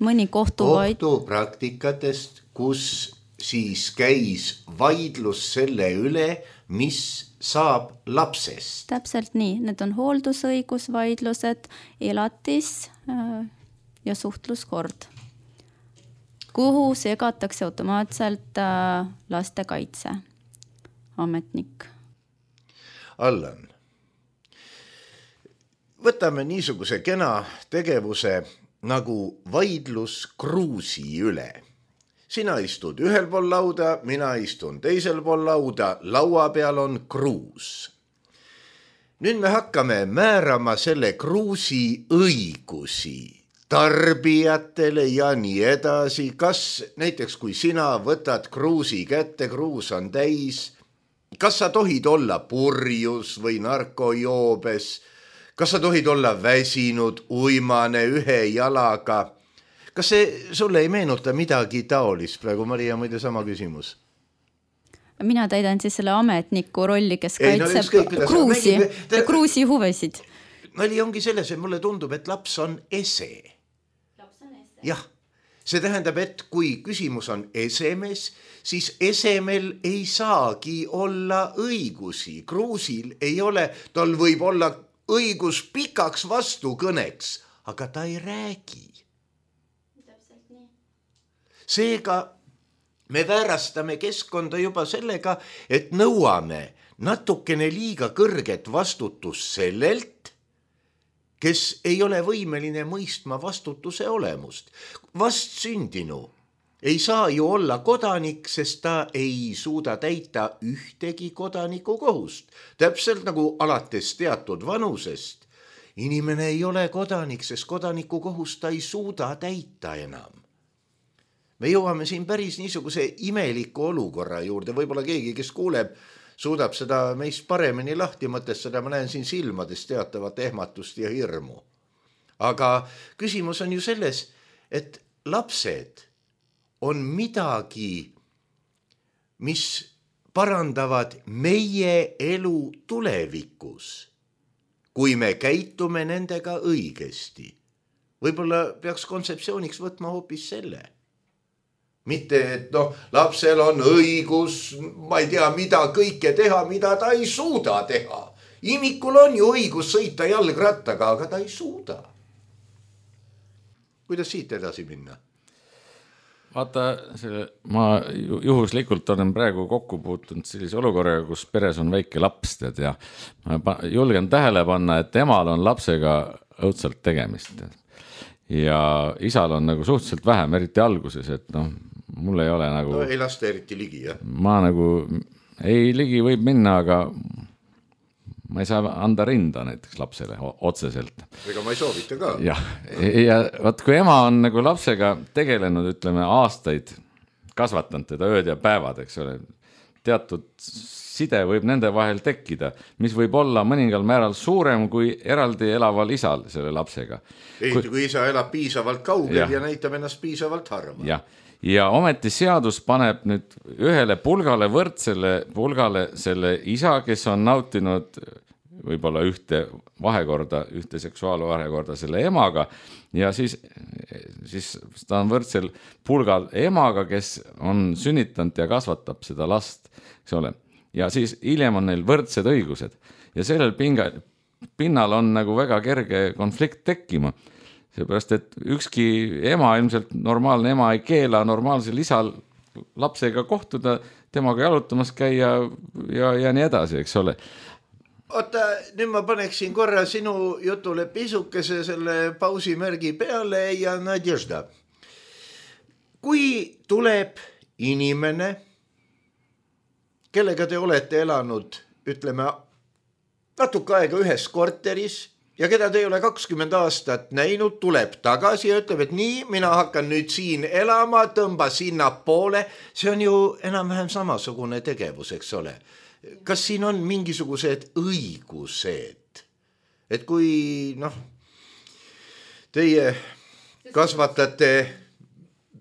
Mõni kohtupraktikatest, kus siis käis vaidlus selle üle, mis saab lapsest. Täpselt nii, need on hooldusõigusvaidlused, elatis ja suhtluskord, kuhu segatakse automaatselt lastekaitse ametnik. Allan, võtame niisuguse kena tegevuse nagu vaidlus kruusi üle. Sina istud ühel pool lauda, mina istun teisel pool lauda, laua peal on kruus. Nüüd me hakkame määrama selle kruusi õigusi tarbijatele ja nii edasi. Kas näiteks kui sina võtad kruusi kätte, kruus on täis, kas sa tohid olla purjus või narkojoobes, kas sa tohid olla väsinud, uimane ühe jalaga? Kas see sulle ei meenuta midagi taolist praegu, Maria, muide sama küsimus? Mina täidan siis selle ametniku rolli, kes kaitseb kruusi huvesid. Nali ongi selles, et mulle tundub, et laps on ese. Jah, see tähendab, et kui küsimus on esemes, siis esemel ei saagi olla õigusi. Kruusil ei ole, tal võib olla õigus pikaks vastukõneks, aga ta ei räägi. Seega me väärastame keskkonda juba sellega, et nõuame natukene liiga kõrget vastutust sellelt, kes ei ole võimeline mõistma vastutuse olemust. Vastsündinu ei saa ju olla kodanik, sest ta ei suuda täita ühtegi kodaniku kohust. Täpselt nagu alates teatud vanusest. Inimene ei ole kodanik, sest kodaniku kohust ta ei suuda täita enam. Me jõuame siin päris niisuguse imeliku olukorra juurde, võib-olla keegi, kes kuuleb, suudab seda meist paremini lahti mõtestada, ma näen siin silmades teatavat ehmatust ja hirmu. Aga küsimus on ju selles, et lapsed on midagi, mis parandavad meie elu tulevikus, kui me käitume nendega õigesti. Võib-olla peaks kontseptsiooniks võtma hoopis selle. Mitte, et lapsel on õigus, ma ei tea, mida kõike teha, mida ta ei suuda teha. Imikul on ju õigus sõita jalgrattaga, aga ta ei suuda. Kuidas siit edasi minna? Vaata, ma juhuslikult olen praegu kokku puutunud sellise olukorraga, kus peres on väike laps, ja ma julgen tähele panna, et emal on lapsega õudselt tegemist. Ja isal on nagu suhteliselt vähem, eriti alguses, et mul ei ole nagu... ei lasta eriti ligi, jah? Ma nagu, ei ligi võib minna, aga ma ei saa anda rinda näiteks lapsele otseselt. Ega ma ei soovita ka. Ja vaat kui ema on nagu lapsega tegelenud, ütleme, aastaid, kasvatanud teda ööd ja päevad, eks ole, teatud side võib nende vahel tekkida, mis võib olla mõningal määral suurem kui eraldi elaval isal selle lapsega. Kui isa elab piisavalt kaugel ja näitab ennast piisavalt harva. Ja ometi seadus paneb nüüd ühele pulgale võrdsele pulgale selle isa, kes on nautinud võib-olla ühte seksuaalvahekorda selle emaga ja siis ta on võrdsel pulgal emaga, kes on sünnitanud ja kasvatab seda last, eks ole. Ja siis hiljem on neil võrdsed õigused ja sellel pinnal on nagu väga kerge konflikt tekkima. Seepärast, et ükski ema, ilmselt normaalne ema ei keela normaalsel isal lapsega kohtuda, temaga jalutamas käia ja nii edasi, eks ole. Oota, nüüd ma paneksin korra sinu jutule pisukese selle pausimärgi peale ja Nadježda. Kui tuleb inimene, kellega te olete elanud, ütleme, natuke aega ühes korteris ja keda te ei ole 20 aastat näinud, tuleb tagasi ja ütleb, et nii, mina hakkan nüüd siin elama, tõmba sinna poole. See on ju enam-vähem samasugune tegevus, eks ole. Kas siin on mingisugused õigused? Et kui, teie kasvatate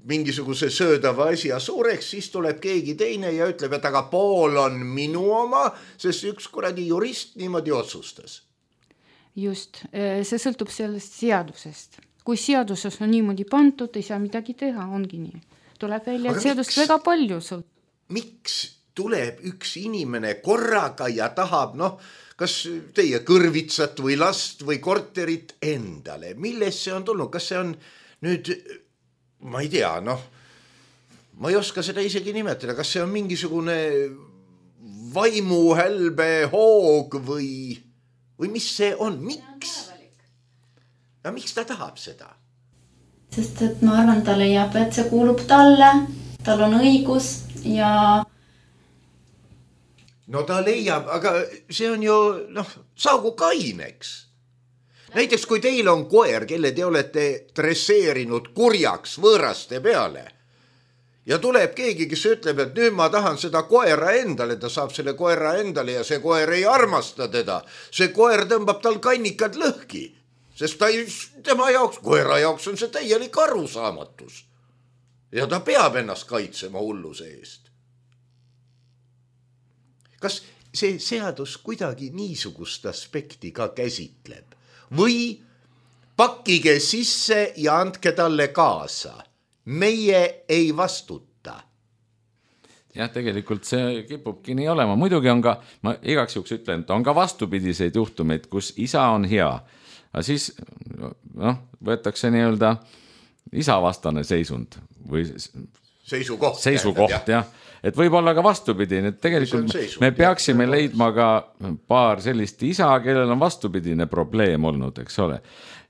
mingisuguse söödava asja suureks, siis tuleb keegi teine ja ütleb, et aga pool on minu oma, sest üks kuradi jurist niimoodi otsustas. Just, see sõltub sellest seadusest. Kui seaduses on niimoodi pandud, ei saa midagi teha, ongi nii. Tuleb välja, et seadust väga palju sõltub. Miks tuleb üks inimene korraga ja tahab, kas teie kõrvitsat või last või korterit endale? Milles see on tulnud? Kas see on nüüd, ma ei tea, ma ei oska seda isegi nimetada, kas see on mingisugune vaimuhälbe hoog või mis see on? Miks? Ja miks ta tahab seda? Sest et ma arvan, ta leiab, et see kuulub talle, tal on õigus ja... No ta leiab, aga see on ju, saagu kaineks. Näiteks kui teil on koer, kelle te olete dresseerinud kurjaks võõraste peale ja tuleb keegi, kes ütleb, et nüüd ma tahan seda koera endale, ta saab selle koera endale ja see koer ei armasta teda. See koer tõmbab tal kannikad lõhki, sest tema jaoks, koera jaoks on see täielik arusaamatus. Ja ta peab ennast kaitsema hulluse eest. Kas see seadus kuidagi niisugust aspekti ka käsitleb? Või pakkige sisse ja andke talle kaasa. Meie ei vastuta. Jah, tegelikult see kipubki nii olema. Muidugi on ka, ma igaks juhuks ütlen, et on ka vastupidiseid juhtumeid, kus isa on hea. Aga siis võetakse nii-öelda isavastane seisund või seisukoht, jah. Et võib olla ka vastupidine, et tegelikult me peaksime leidma ka paar sellist isa, kellel on vastupidine probleem olnud, eks ole.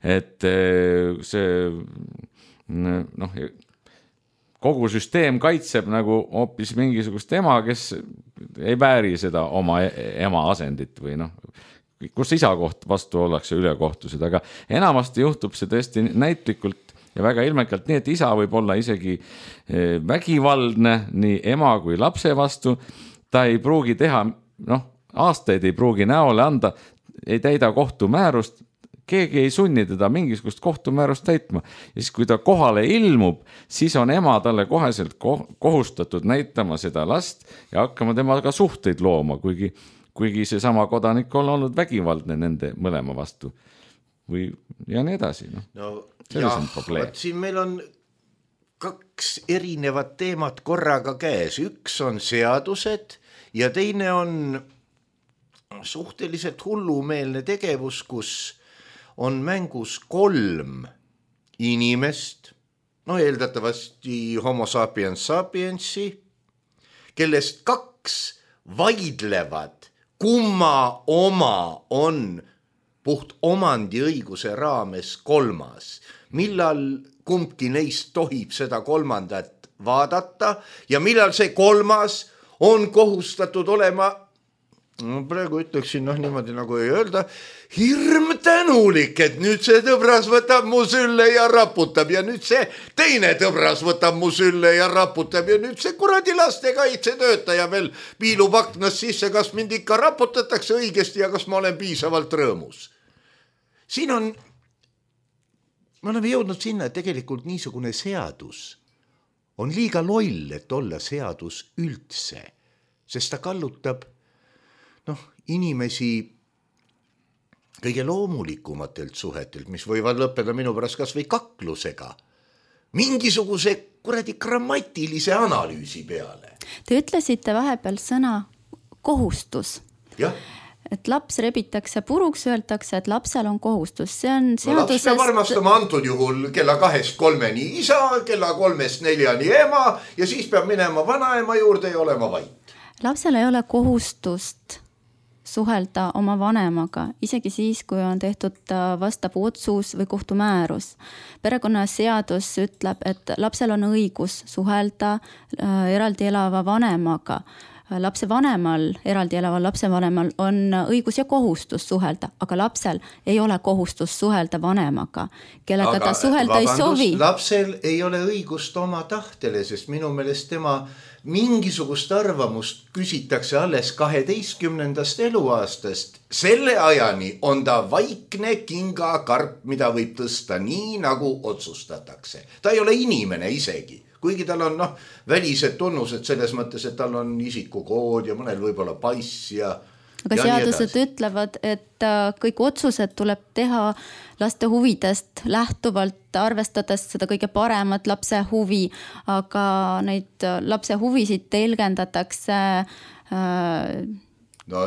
Et see, kogu süsteem kaitseb nagu hoopis mingisugust ema, kes ei vääri seda oma ema asendit või kus isa koht vastu ollakse ülekohtused, aga enamasti juhtub see tõesti näitlikult ja väga ilmekalt nii, et isa võib olla isegi vägivaldne nii ema kui lapse vastu. Ta ei pruugi teha, aastaid ei pruugi näole anda, ei täida kohtumäärust, keegi ei sunni teda mingisugust kohtumäärust täitma. Ja siis, kui ta kohale ilmub, siis on ema talle koheselt kohustatud näitama seda last ja hakkama temaga suhteid looma, kuigi see sama kodanik on olnud vägivaldne nende mõlema vastu. Ja nii edasi. Siin meil on kaks erinevat teemat korraga käes. Üks on seadused ja teine on suhteliselt hullumeelne tegevus, kus on mängus 3 inimest, eeldatavasti homo sapiens sapiensi, kellest 2 vaidlevad, kumma oma on puht omandiõiguse raames 3. Millal kumbki neist tohib seda 3. vaadata ja millal see 3. on kohustatud olema, praegu ütleksin niimoodi nagu ei öelda, hirm tänulik, et nüüd see tõbras võtab mu sülle ja raputab ja nüüd see teine tõbras võtab mu sülle ja raputab ja nüüd see kuradi lastekaitse töötaja veel piilub aknast sisse, kas mind ikka raputatakse õigesti ja kas ma olen piisavalt rõõmus. Siin me oleme jõudnud sinna, et tegelikult niisugune seadus on liiga loll, et olla seadus üldse, sest ta kallutab inimesi kõige loomulikumatelt suhetelt, mis võivad lõppeda minu pärast kas või kaklusega, mingisuguse kuradi grammatilise analüüsi peale. Te ütlesite vahepeal sõna kohustus. Jah. Et laps rebitakse puruks, öeldakse, et lapsel on kohustus. See on seadusest... Laps peab armastama antud juhul kella 2-3 isa, kella 3-4 ema ja siis peab minema vanaema juurde ja olema vait. Lapsel ei ole kohustust suhelda oma vanemaga, isegi siis, kui on tehtud vastav otsus või kohtumäärus. Perekonnaseadus ütleb, et lapsel on õigus suhelda eraldi elava vanemaga. Lapse vanemal, eraldi elaval lapse vanemal on õigus ja kohustus suhelda, aga lapsel ei ole kohustus suhelda vanemaga, kellega ta suhelda ei sovi. Lapsel ei ole õigust oma tahtele, sest minu meelest tema mingisugust arvamust küsitakse alles 12. eluaastast. Selle ajani on ta vaikne kingakarp, mida võib tõsta nii, nagu otsustatakse. Ta ei ole inimene isegi. kuigi tal on välised tunnused selles mõttes, et tal on isikukood ja mõnel võib-olla pass ja aga seadused ütlevad, et kõik otsused tuleb teha laste huvidest lähtuvalt, arvestades seda kõige paremat lapse huvi, aga neid lapse huvisid telgendatakse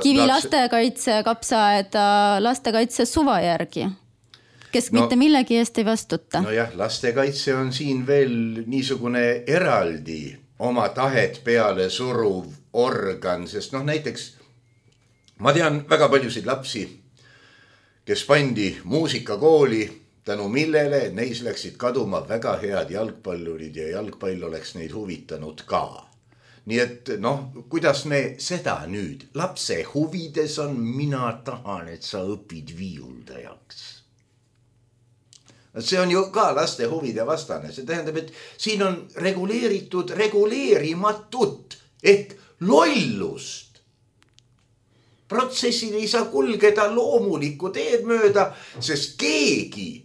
Kivi lastekaitse, kapsaaeda lastekaitse suva järgi, kes mitte millegi eest ei vastuta. Nojah, lastekaitse on siin veel niisugune eraldi oma tahet peale suruv organ, sest näiteks ma tean väga paljusid lapsi, kes pandi muusikakooli, tänu millele neis läksid kaduma väga head jalgpallurid ja jalgpall oleks neid huvitanud ka. Nii et kuidas me seda nüüd? Lapse huvides on, mina tahan, et sa õpid viiuldajaks. See on ju ka laste huvide vastane. See tähendab, et siin on reguleeritud reguleerimatut ehk lollust. Protsessil ei saa kulgeda loomulikku teed mööda, sest keegi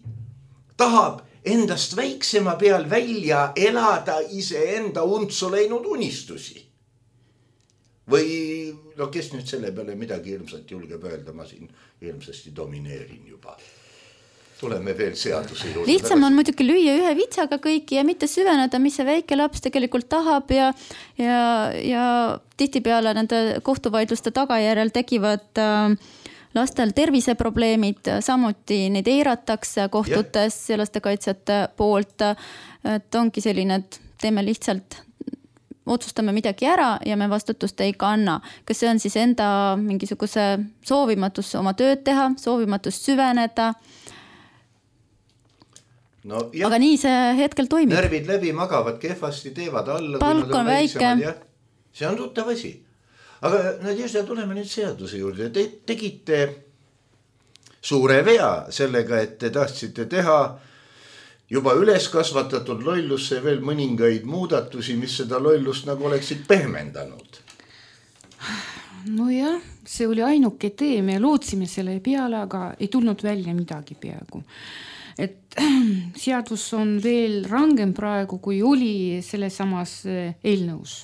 tahab endast väiksema peal välja elada iseenda untsu läinud unistusi. Või kes nüüd selle peale midagi ilmselt julgeb öelda, ma siin ilmsesti domineerin juba. Tuleme veel seaduse juurde. Lihtsam on muidugi lüüa ühe vitsaga kõiki ja mitte süveneda, mis see väike laps tegelikult tahab ja tihtipeale nende kohtuvaidluste tagajärjel tekivad lastel terviseprobleemid, samuti neid eiratakse kohtutes ja lastekaitsjate poolt. Et ongi selline, et teeme lihtsalt, otsustame midagi ära ja me vastutust ei kanna. Kas see on siis enda mingisuguse soovimatus oma tööd teha, soovimatus süveneda? Aga nii see hetkel toimib. Närvid läbi magavad kehvasti, teevad alla. Palk on väike. See on tuttav asi. Aga Nadježda, tuleme nüüd seaduse juurde. Te tegite suure vea sellega, et te tahtsite teha juba üles kasvatatud lollusse veel mõningaid muudatusi, mis seda lollust nagu oleksid pehmendanud. Nojah, see oli ainuke tee, me lootsime selle peale, aga ei tulnud välja midagi peaaegu. Et seadus on veel rangem praegu, kui oli selle samas eelnõus.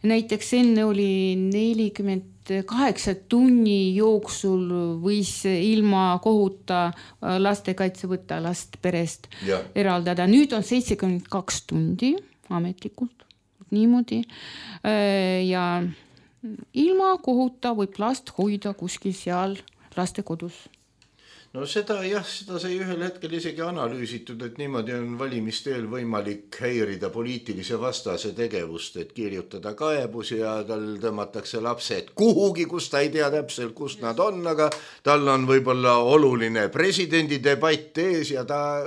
Näiteks enne oli 48 tunni jooksul võis ilma kohuta lastekaitse võtta last perest eraldada. Nüüd on 72 tundi ametlikult, niimoodi. Ja ilma kohuta võib last hoida kuskil seal lastekodus. No seda sai ühel hetkel isegi analüüsitud, et niimoodi on valimisteel võimalik häirida poliitilise vastase tegevust, et kirjutada kaebus ja tal tõmmatakse lapsed kuhugi, kus ta ei tea täpselt, kus nad on, aga tal on võib-olla oluline presidendi debatt ees ja ta,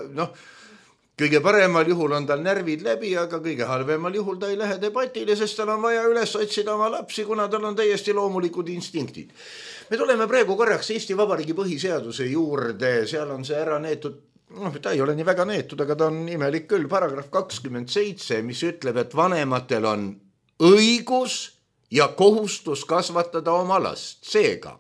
kõige paremal juhul on tal närvid läbi, aga kõige halvemal juhul ta ei lähe debatile, sest tal on vaja üles otsida oma lapsi, kuna tal on täiesti loomulikud instinktid. Me tuleme praegu korraks Eesti Vabariigi põhiseaduse juurde, seal on see ära neetud, ta ei ole nii väga neetud, aga ta on imelik küll, paragrahv 27, mis ütleb, et vanematel on õigus ja kohustus kasvatada oma last. Seega,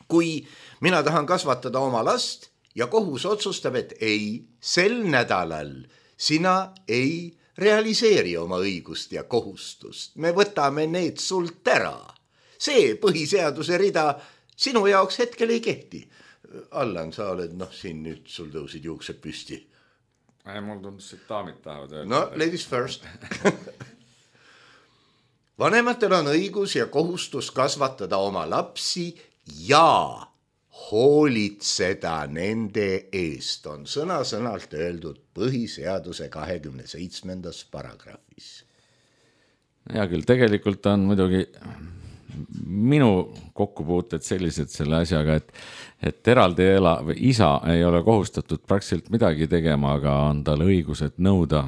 kui mina tahan kasvatada oma last ja kohus otsustab, et ei, sel nädalal sina ei realiseeri oma õigust ja kohustust, me võtame need sult ära. See põhiseaduse rida sinu jaoks hetkel ei kehti. Allan, sa oled, siin nüüd sul tõusid juuksed püsti. Mul tundus, et daamid tahavad öelda. No, ladies first. Vanematel on õigus ja kohustus kasvatada oma lapsi ja hoolitseda nende eest, on sõna-sõnalt öeldud põhiseaduse 27. paragrahvis. Hea küll, tegelikult on muidugi minu kokkupuuted sellised selle asjaga, et eraldi isa ei ole kohustatud praktiliselt midagi tegema, aga on tal õigused nõuda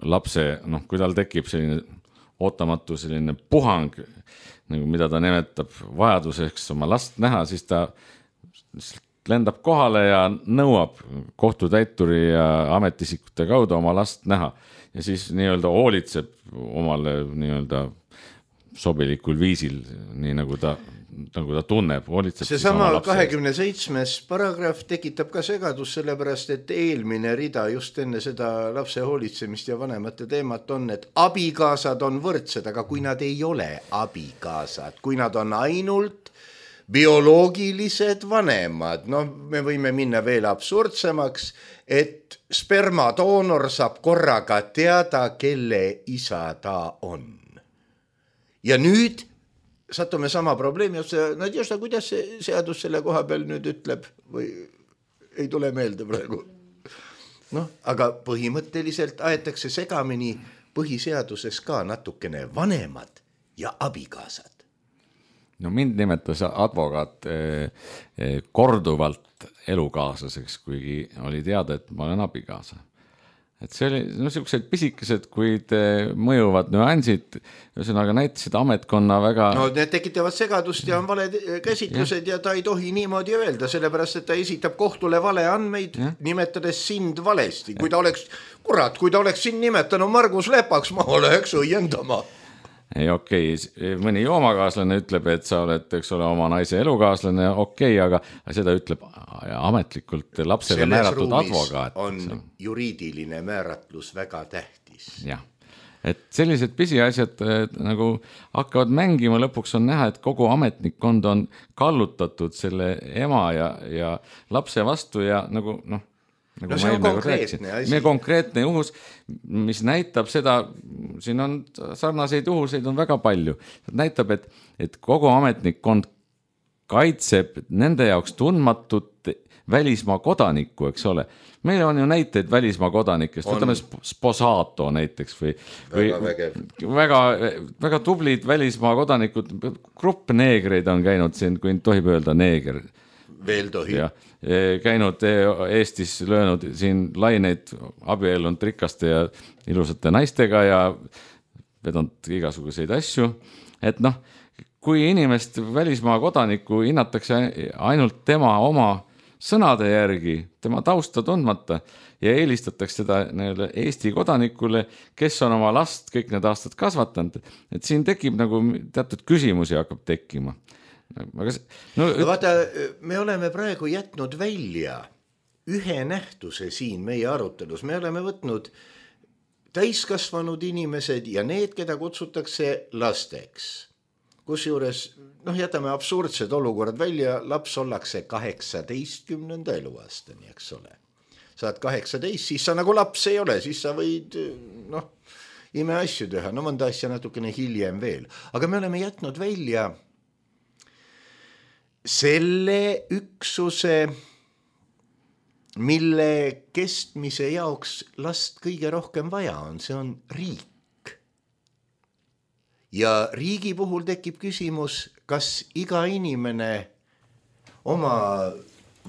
lapse, kui tal tekib selline ootamatu selline puhang, nagu mida ta nimetab vajaduseks oma last näha, siis ta lendab kohale ja nõuab kohtutäituri ja ametisikute kaudu oma last näha ja siis nii-öelda hoolitseb omale nii-öelda sobilikul viisil, nii nagu ta tunneb. See sama 27. paragrahv tekitab ka segadus, sellepärast, et eelmine rida just enne seda lapse hoolitsemist ja vanemate teemat on, et abikaasad on võrdsed, aga kui nad ei ole abikaasad, kui nad on ainult bioloogilised vanemad, me võime minna veel absurdsemaks, et spermadoonor saab korraga teada, kelle isa ta on. Ja nüüd satume sama probleemi, Nadježda, kuidas see seadus selle koha peal nüüd ütleb või ei tule meelde praegu? Aga põhimõtteliselt aetakse segamini põhiseaduses ka natukene vanemad ja abikaasad. Mind nimetas advokaat korduvalt elukaaslaseks, kuigi oli teada, et ma olen abikaasa. Et see oli niisugused pisikesed, kuid mõjuvad nüansid, ühesõnaga näitasid ametkonna väga... Need tekitavad segadust ja on valed käsitlused ja ta ei tohi niimoodi öelda, sellepärast, et ta esitab kohtule vale andmeid, nimetades sind valesti. Kui ta oleks sind nimetanud Margus Lepaks, ma oleks õiendama. Ei, okei, mõni joomakaaslane ütleb, et sa oled, eks ole, oma naise elukaaslane, okei, aga seda ütleb ametlikult lapsele määratud advokaat. On juriidiline määratlus väga tähtis. Jah, et sellised pisiasjad nagu hakkavad mängima, lõpuks on näha, et kogu ametnikkond on kallutatud selle ema ja lapse vastu ja nagu see on konkreetne asi. Meie konkreetne juhus, mis näitab seda, siin on sarnaseid juhuseid on väga palju. Näitab, et kogu ametnikkond kaitseb nende jaoks tundmatut välismaa kodanikku, eks ole. Meil on ju näiteid välismaa kodanikest, võtame Sposato näiteks või väga tublid välismaa kodanikud, grupp neegreid on käinud siin, kui tohib öelda neeger. Veel tohib. Käinud Eestis, löönud siin laineid, abiellunud rikaste ja ilusate naistega ja vedanud igasuguseid asju. Et kui inimest välismaa kodanikku hinnatakse ainult tema oma sõnade järgi, tema tausta tundmata ja eelistatakse seda Eesti kodanikule, kes on oma last kõik need aastad kasvatanud, et siin tekib nagu teatud küsimusi hakkab tekkima. Vaata, me oleme praegu jätnud välja ühe nähtuse siin meie arutelus. Me oleme võtnud täiskasvanud inimesed ja need, keda kutsutakse lasteks. Kusjuures, jätame absurdsed olukorrad välja, laps ollakse 18. eluaastani, eks ole. Saad 18, siis sa nagu laps ei ole, siis sa võid ime asju teha, mõnda asja natukene hiljem veel. Aga me oleme jätnud välja selle üksuse, mille kestmise jaoks last kõige rohkem vaja on, see on riik. Ja riigi puhul tekib küsimus, kas iga inimene oma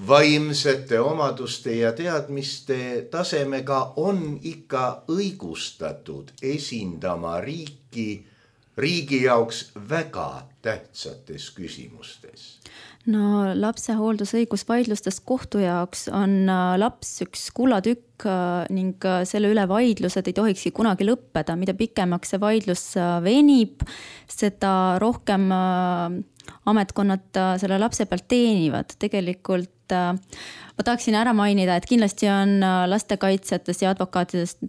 vaimsete omaduste ja teadmiste tasemega on ikka õigustatud esindama riigi jaoks väga tähtsates küsimustes. Lapse hooldusõigusvaidlustest kohtu jaoks on laps üks kullatükk ning selle üle vaidlused ei tohikski kunagi lõppeda. Mida pikemaks see vaidlus venib, seda rohkem ametkonnad selle lapse pealt teenivad. Tegelikult ma tahaksin ära mainida, et kindlasti on lastekaitsjatest ja advokaatidest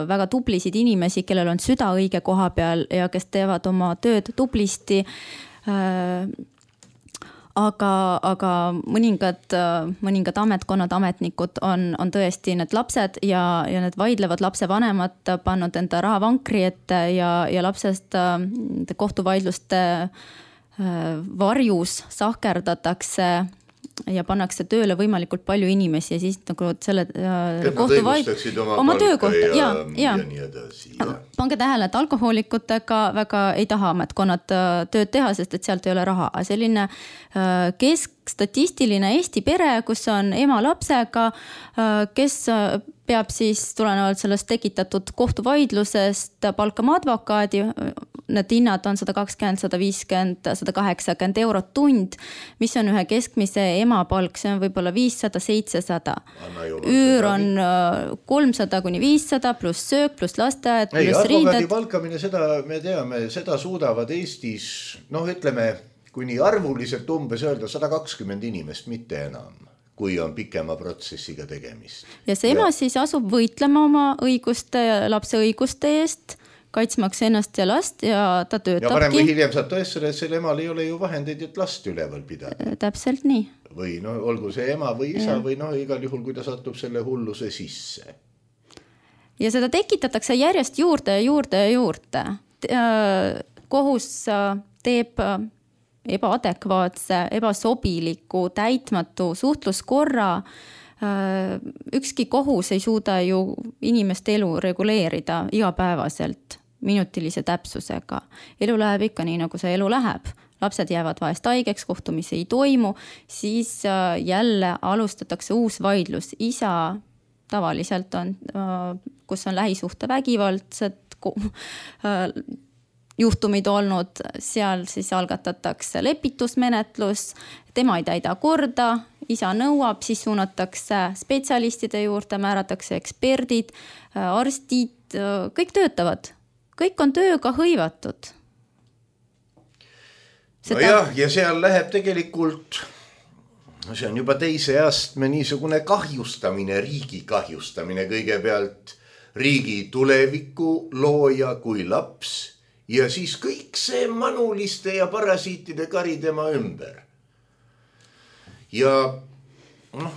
väga tublisid inimesi, kellel on süda õige koha peal ja kes teevad oma tööd tublisti. Aga mõningad ametkonnad, ametnikud on tõesti need lapsed ja need vaidlevad lapse vanemad pannud enda rahavankri ette ja lapsest kohtuvaidluste varjus sahkerdatakse ja pannakse tööle võimalikult palju inimesi ja siis nagu selle oma töökohta ja nii edasi. Pange tähele, et alkohoolikutega väga ei taha ametkonnad tööd teha, sest et sealt ei ole raha. Selline keskstatistiline Eesti pere, kus on ema lapsega, kes peab siis tulenevalt sellest tekitatud kohtuvaidlusest palkama advokaadi, need hinnad on 120, 150, 180 eurot tund, mis on ühe keskmise emapalk, see on võib-olla 500, 700. Üür on 300 kuni 500 pluss söök, pluss lasteaed, pluss riided. Advokaadi palkamine, seda me teame, seda suudavad Eestis, ütleme, kuni arvuliselt umbes öelda 120 inimest, mitte enam, kui on pikema protsessiga tegemist. Ja see ema siis asub võitlema oma õiguste ja lapse õiguste eest, kaitsmaks ennast ja last ja ta töötabki. Ja varem või hiljem saab tõestada, et selle emal ei ole ju vahendeid, et last üleval pidada. Täpselt nii. Või olgu see ema või isa või igal juhul, kui ta satub selle hulluse sisse. Ja seda tekitatakse järjest juurde ja juurde ja juurde. Kohus teeb ebaadekvaatse, ebasobiliku, täitmatu suhtluskorra. Ükski kohus ei suuda ju inimeste elu reguleerida igapäevaselt minutilise täpsusega. Elu läheb ikka nii, nagu see elu läheb. Lapsed jäävad vahest haigeks, kohtumisi ei toimu, siis jälle alustatakse uus vaidlus. Isa tavaliselt on, kus on lähisuhte vägivaldsed juhtumid olnud, seal siis algatatakse lepitusmenetlus, tema ei täida korda, isa nõuab, siis suunatakse spetsialistide juurde, määratakse eksperdid, arstid, kõik töötavad. Kõik on tööga hõivatud. Ja seal läheb tegelikult, see on juba teise astme niisugune kahjustamine, riigi kahjustamine kõigepealt, riigi tuleviku looja kui laps, ja siis kõik see manuliste ja parasiitide kari tema ümber. Ja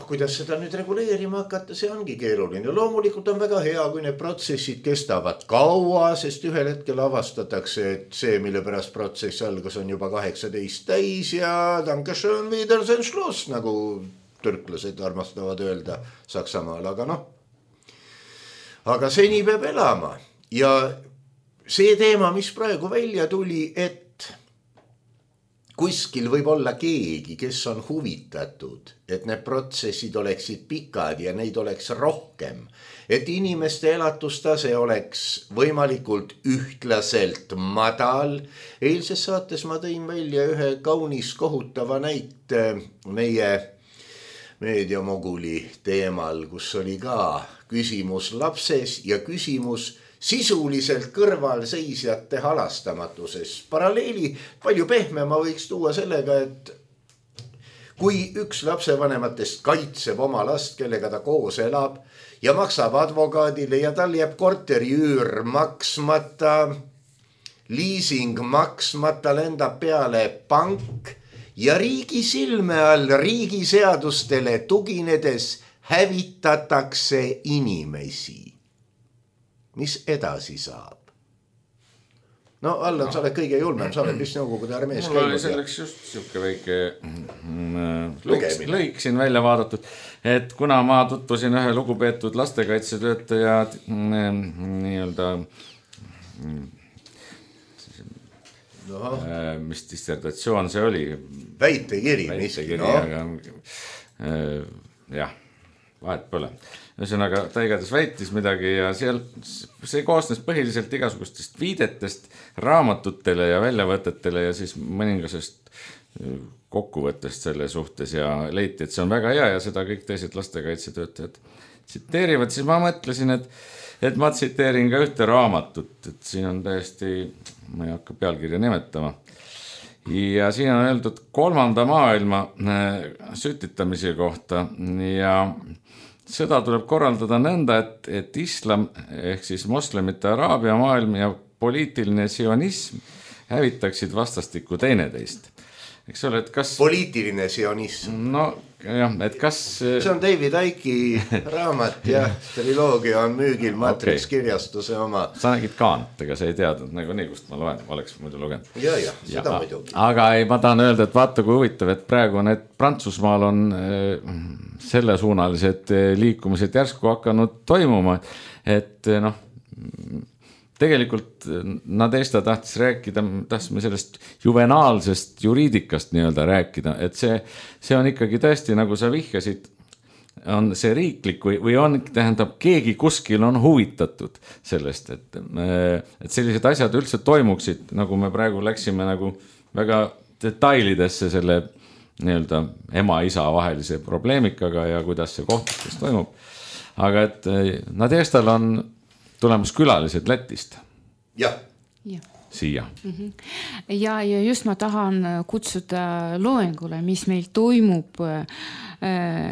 kuidas seda nüüd reguleerima hakata, see ongi keeruline. Loomulikult on väga hea, kui need protsessid kestavad kaua, sest ühel hetkel avastatakse, et see, mille pärast protsess algas, on juba 18 täis ja Dankeschön, Wiedersehen, Schluss, nagu türklased armastavad öelda Saksamaal. Aga seni peab elama ja see teema, mis praegu välja tuli, et kuskil võib olla keegi, kes on huvitatud, et need protsessid oleksid pikad ja neid oleks rohkem, et inimeste elatustase oleks võimalikult ühtlaselt madal. Eilses saates ma tõin välja ühe kaunis kohutava näite meie meediamoguli teemal, kus oli ka küsimus lapses ja küsimus sisuliselt kõrvalseisjate halastamatuses. Paralleeli palju pehmema võiks tuua sellega, et kui üks lapsevanematest kaitseb oma last, kellega ta koos elab ja maksab advokaadile ja tal jääb korteriüür maksmata, liising maksmata, lendab peale pank ja riigi silme all riigiseadustele tuginedes hävitatakse inimesi. Mis edasi saab? Allan, sa oled kõige julmem, sa oled vist Nõukogude armees käinud. Mul oli selleks just siuke väike lõik siin välja vaadatud, et kuna ma tutvusin ühe lugupeetud lastekaitsetöötaja nii-öelda mis dissertatsioon see oli? Väitekiri. Jah, vahet pole. Ühesõnaga, ta igatahes väitis midagi ja see koosnes põhiliselt igasugustest viidetest raamatutele ja väljavõtetele ja siis mõningasest kokkuvõttest selle suhtes ja leiti, et see on väga hea ja seda kõik teised lastekaitsetöötajad tsiteerivad. Siis ma mõtlesin, et ma tsiteerin ka ühte raamatut, et siin on täiesti, ma ei hakka pealkirja nimetama. Ja siin on öeldud 3. maailma sütitamise kohta ja sõda tuleb korraldada nõnda, et islam ehk siis moslemite araabia maailm ja poliitiline sionism hävitaksid vastastikku teineteist. Eks ole, et kas... Poliitiline sionism. Jah, et kas... See on David Icke'i raamat ja triloogia on müügil Matrix kirjastuse oma. Sa nägid Kant, ega sa ei teadnud nagu nii, kust ma loen, oleks muidu lugenud. Ja, seda muidugi. Aga ma tahan öelda, et vaata kui huvitav, et praegu need Prantsusmaal on selle suunalised liikumised järsku hakanud toimuma, et tegelikult Nadesta tahtsime sellest juvenaalsest juriidikast nii-öelda rääkida, et see on ikkagi tõesti, nagu sa vihjasid, on see riiklik või on, tähendab, keegi kuskil on huvitatud sellest, et sellised asjad üldse toimuksid, nagu me praegu läksime nagu väga detailidesse selle nii-öelda ema-isa vahelise probleemikaga ja kuidas see kohtustes toimub. Aga et Nadestal on tulemas külalised Lätist. Jah. Siia. Ja just ma tahan kutsuda loengule, mis meil toimub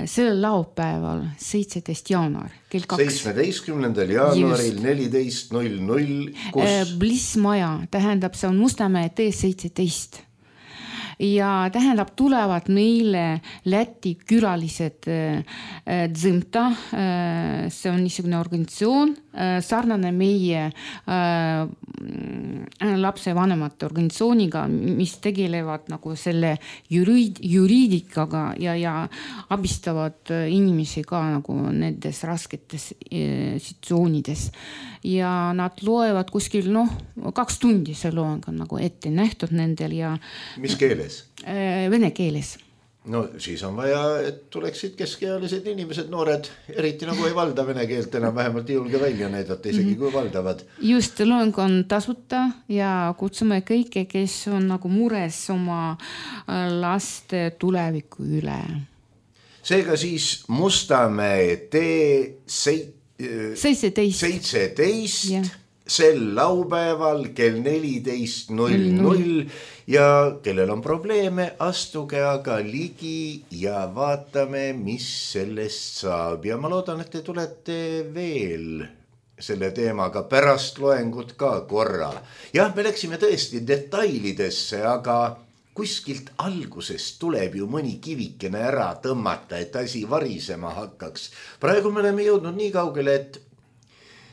sellel laupäeval 17. jaanuar kell 2. 17. jaanuaril 14.00 kus... Blissmaja, tähendab, see on Mustamäe tee 17. Ja tähendab, tulevad meile Läti külalised Dzimta, see on niisugune organisatsioon, sarnane meie lapsevanemate organisatsiooniga, mis tegelevad nagu selle juriidikaga ja abistavad inimesi ka nagu nendes rasketes situatsioonides. Ja nad loevad kuskil 2 tundi see loeng on nagu ette nähtud nendel ja... Mis keeles? Vene keeles. No siis on vaja, et tuleksid keskealised inimesed, noored, eriti nagu ei valda vene keelt enam, vähemalt ei julge välja näidata, isegi kui valdavad. Just, loeng on tasuta ja kutsume kõike, kes on nagu mures oma laste tuleviku üle. Seega siis Mustamäe tee 17. Yeah. Sel laupäeval kell 14.00 ja kellel on probleeme, astuge aga ligi ja vaatame, mis sellest saab. Ja ma loodan, et te tulete veel selle teemaga pärast loengut ka korra. Jah, me läksime tõesti detailidesse, aga kuskilt algusest tuleb ju mõni kivikene ära tõmmata, et asi varisema hakkaks. Praegu me oleme jõudnud nii kaugele, et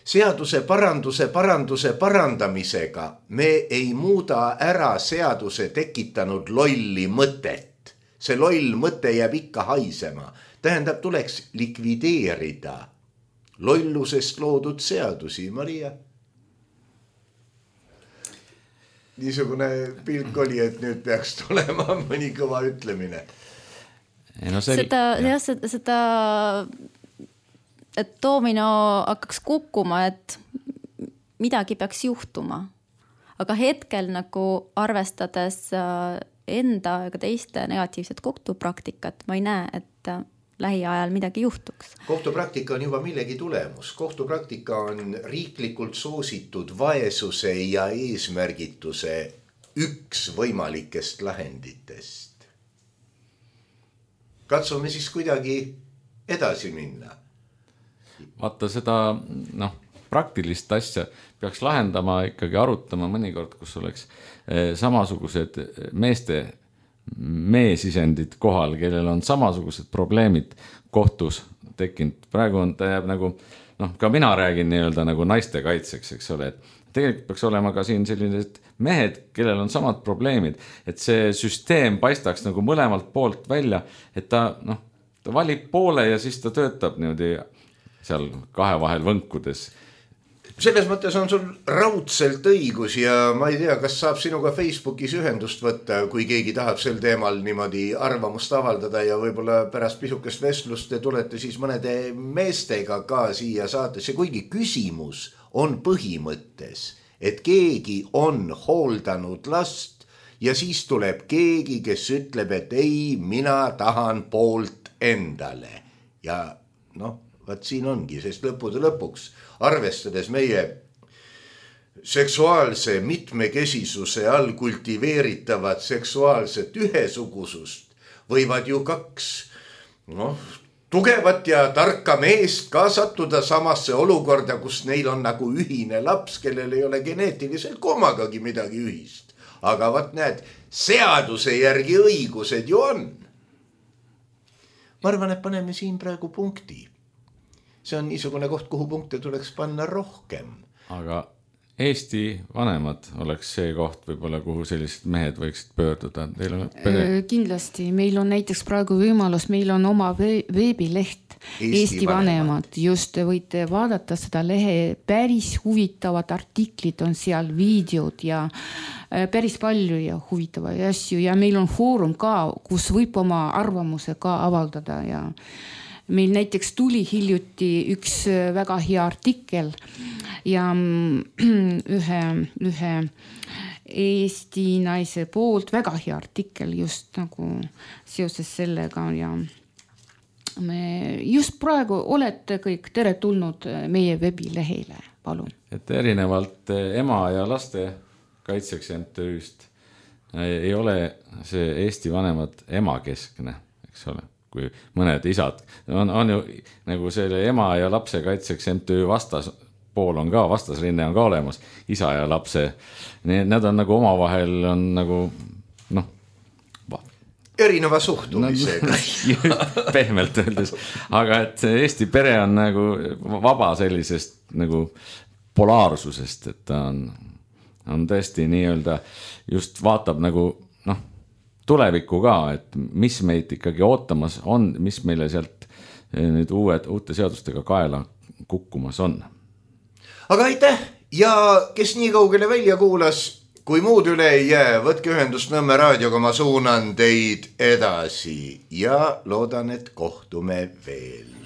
seaduse parandamisega me ei muuda ära seaduse tekitanud lolli mõtet. See loll mõte jääb ikka haisema. Tähendab, tuleks likvideerida lollusest loodud seadusi, Maria. Niisugune pilk oli, et nüüd peaks tulema mõni kõva ütlemine. Seda et doomino hakkaks kukkuma, et midagi peaks juhtuma. Aga hetkel nagu arvestades enda ega teiste negatiivset kohtupraktikat, ma ei näe, et lähiajal midagi juhtuks. Kohtupraktika on juba millegi tulemus. Kohtupraktika on riiklikult soositud vaesuse ja eesmärgituse üks võimalikest lahenditest. Katsume siis kuidagi edasi minna. Vaata seda praktilist asja peaks lahendama, ikkagi arutama mõnikord, kus oleks samasugused meesisendid kohal, kellel on samasugused probleemid kohtus tekkinud. Praegu on ta jääb nagu, ka mina räägin nii-öelda nagu naiste kaitseks, eks ole, et tegelikult peaks olema ka siin sellised mehed, kellel on samad probleemid, et see süsteem paistaks nagu mõlemalt poolt välja, et ta valib poole ja siis ta töötab niimoodi seal kahe vahel võnkudes. Selles mõttes on sul raudselt õigus ja ma ei tea, kas saab sinuga Facebookis ühendust võtta, kui keegi tahab sel teemal niimoodi arvamust avaldada ja võib-olla pärast pisukest vestlust te tulete siis mõnede meestega ka siia saatesse, kuigi küsimus on põhimõttes, et keegi on hooldanud last ja siis tuleb keegi, kes ütleb, et ei, mina tahan poolt endale ja vaat siin ongi, sest lõppude lõpuks, arvestades meie seksuaalse mitmekesisuse all kultiveeritavat seksuaalset ühesugusust, võivad ju 2 tugevat ja tarka meest ka sattuda samasse olukorda, kus neil on nagu ühine laps, kellel ei ole geneetiliselt kommagagi midagi ühist. Aga vaat näed, seaduse järgi õigused ju on. Ma arvan, et paneme siin praegu punkti. See on niisugune koht, kuhu punkte tuleks panna rohkem. Aga Eesti vanemad oleks see koht võib-olla, kuhu sellised mehed võiksid pöörduda. Kindlasti, meil on näiteks praegu võimalus, meil on oma veebileht Eesti vanemad. Just võite vaadata seda lehe, päris huvitavad artiklid on seal, videod ja päris palju ja huvitavaid asju ja meil on foorum ka, kus võib oma arvamuse ka avaldada ja meil näiteks tuli hiljuti üks väga hea artikkel ja ühe Eesti naise poolt väga hea artikkel just nagu seoses sellega ja me just praegu olete kõik tere tulnud meie veebilehele, palun. Et erinevalt ema ja laste kaitseks MTÜ-st ei ole see Eesti vanemad emakeskne, eks ole, kui mõned isad on ju nagu selle ema ja lapse kaitseks MTÜ vastaspool on ka, vastasrinne on ka olemas, isa ja lapse. Need on nagu omavahel on nagu erineva suhtumisega. Pehmelt öeldes. Aga et Eesti pere on nagu vaba sellisest nagu polaarsusest, et ta on tõesti nii-öelda just vaatab nagu tulevikku ka, et mis meid ikkagi ootamas on, mis meile sealt nüüd uute seadustega kaela kukkumas on. Aga aitäh ja kes nii kaugele välja kuulas, kui muud üle ei jää, võtke ühendust Nõmme raadioga, ma suunan teid edasi ja loodan, et kohtume veel.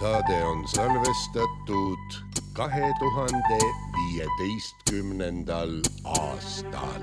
Saade on salvestatud 2015. aastal.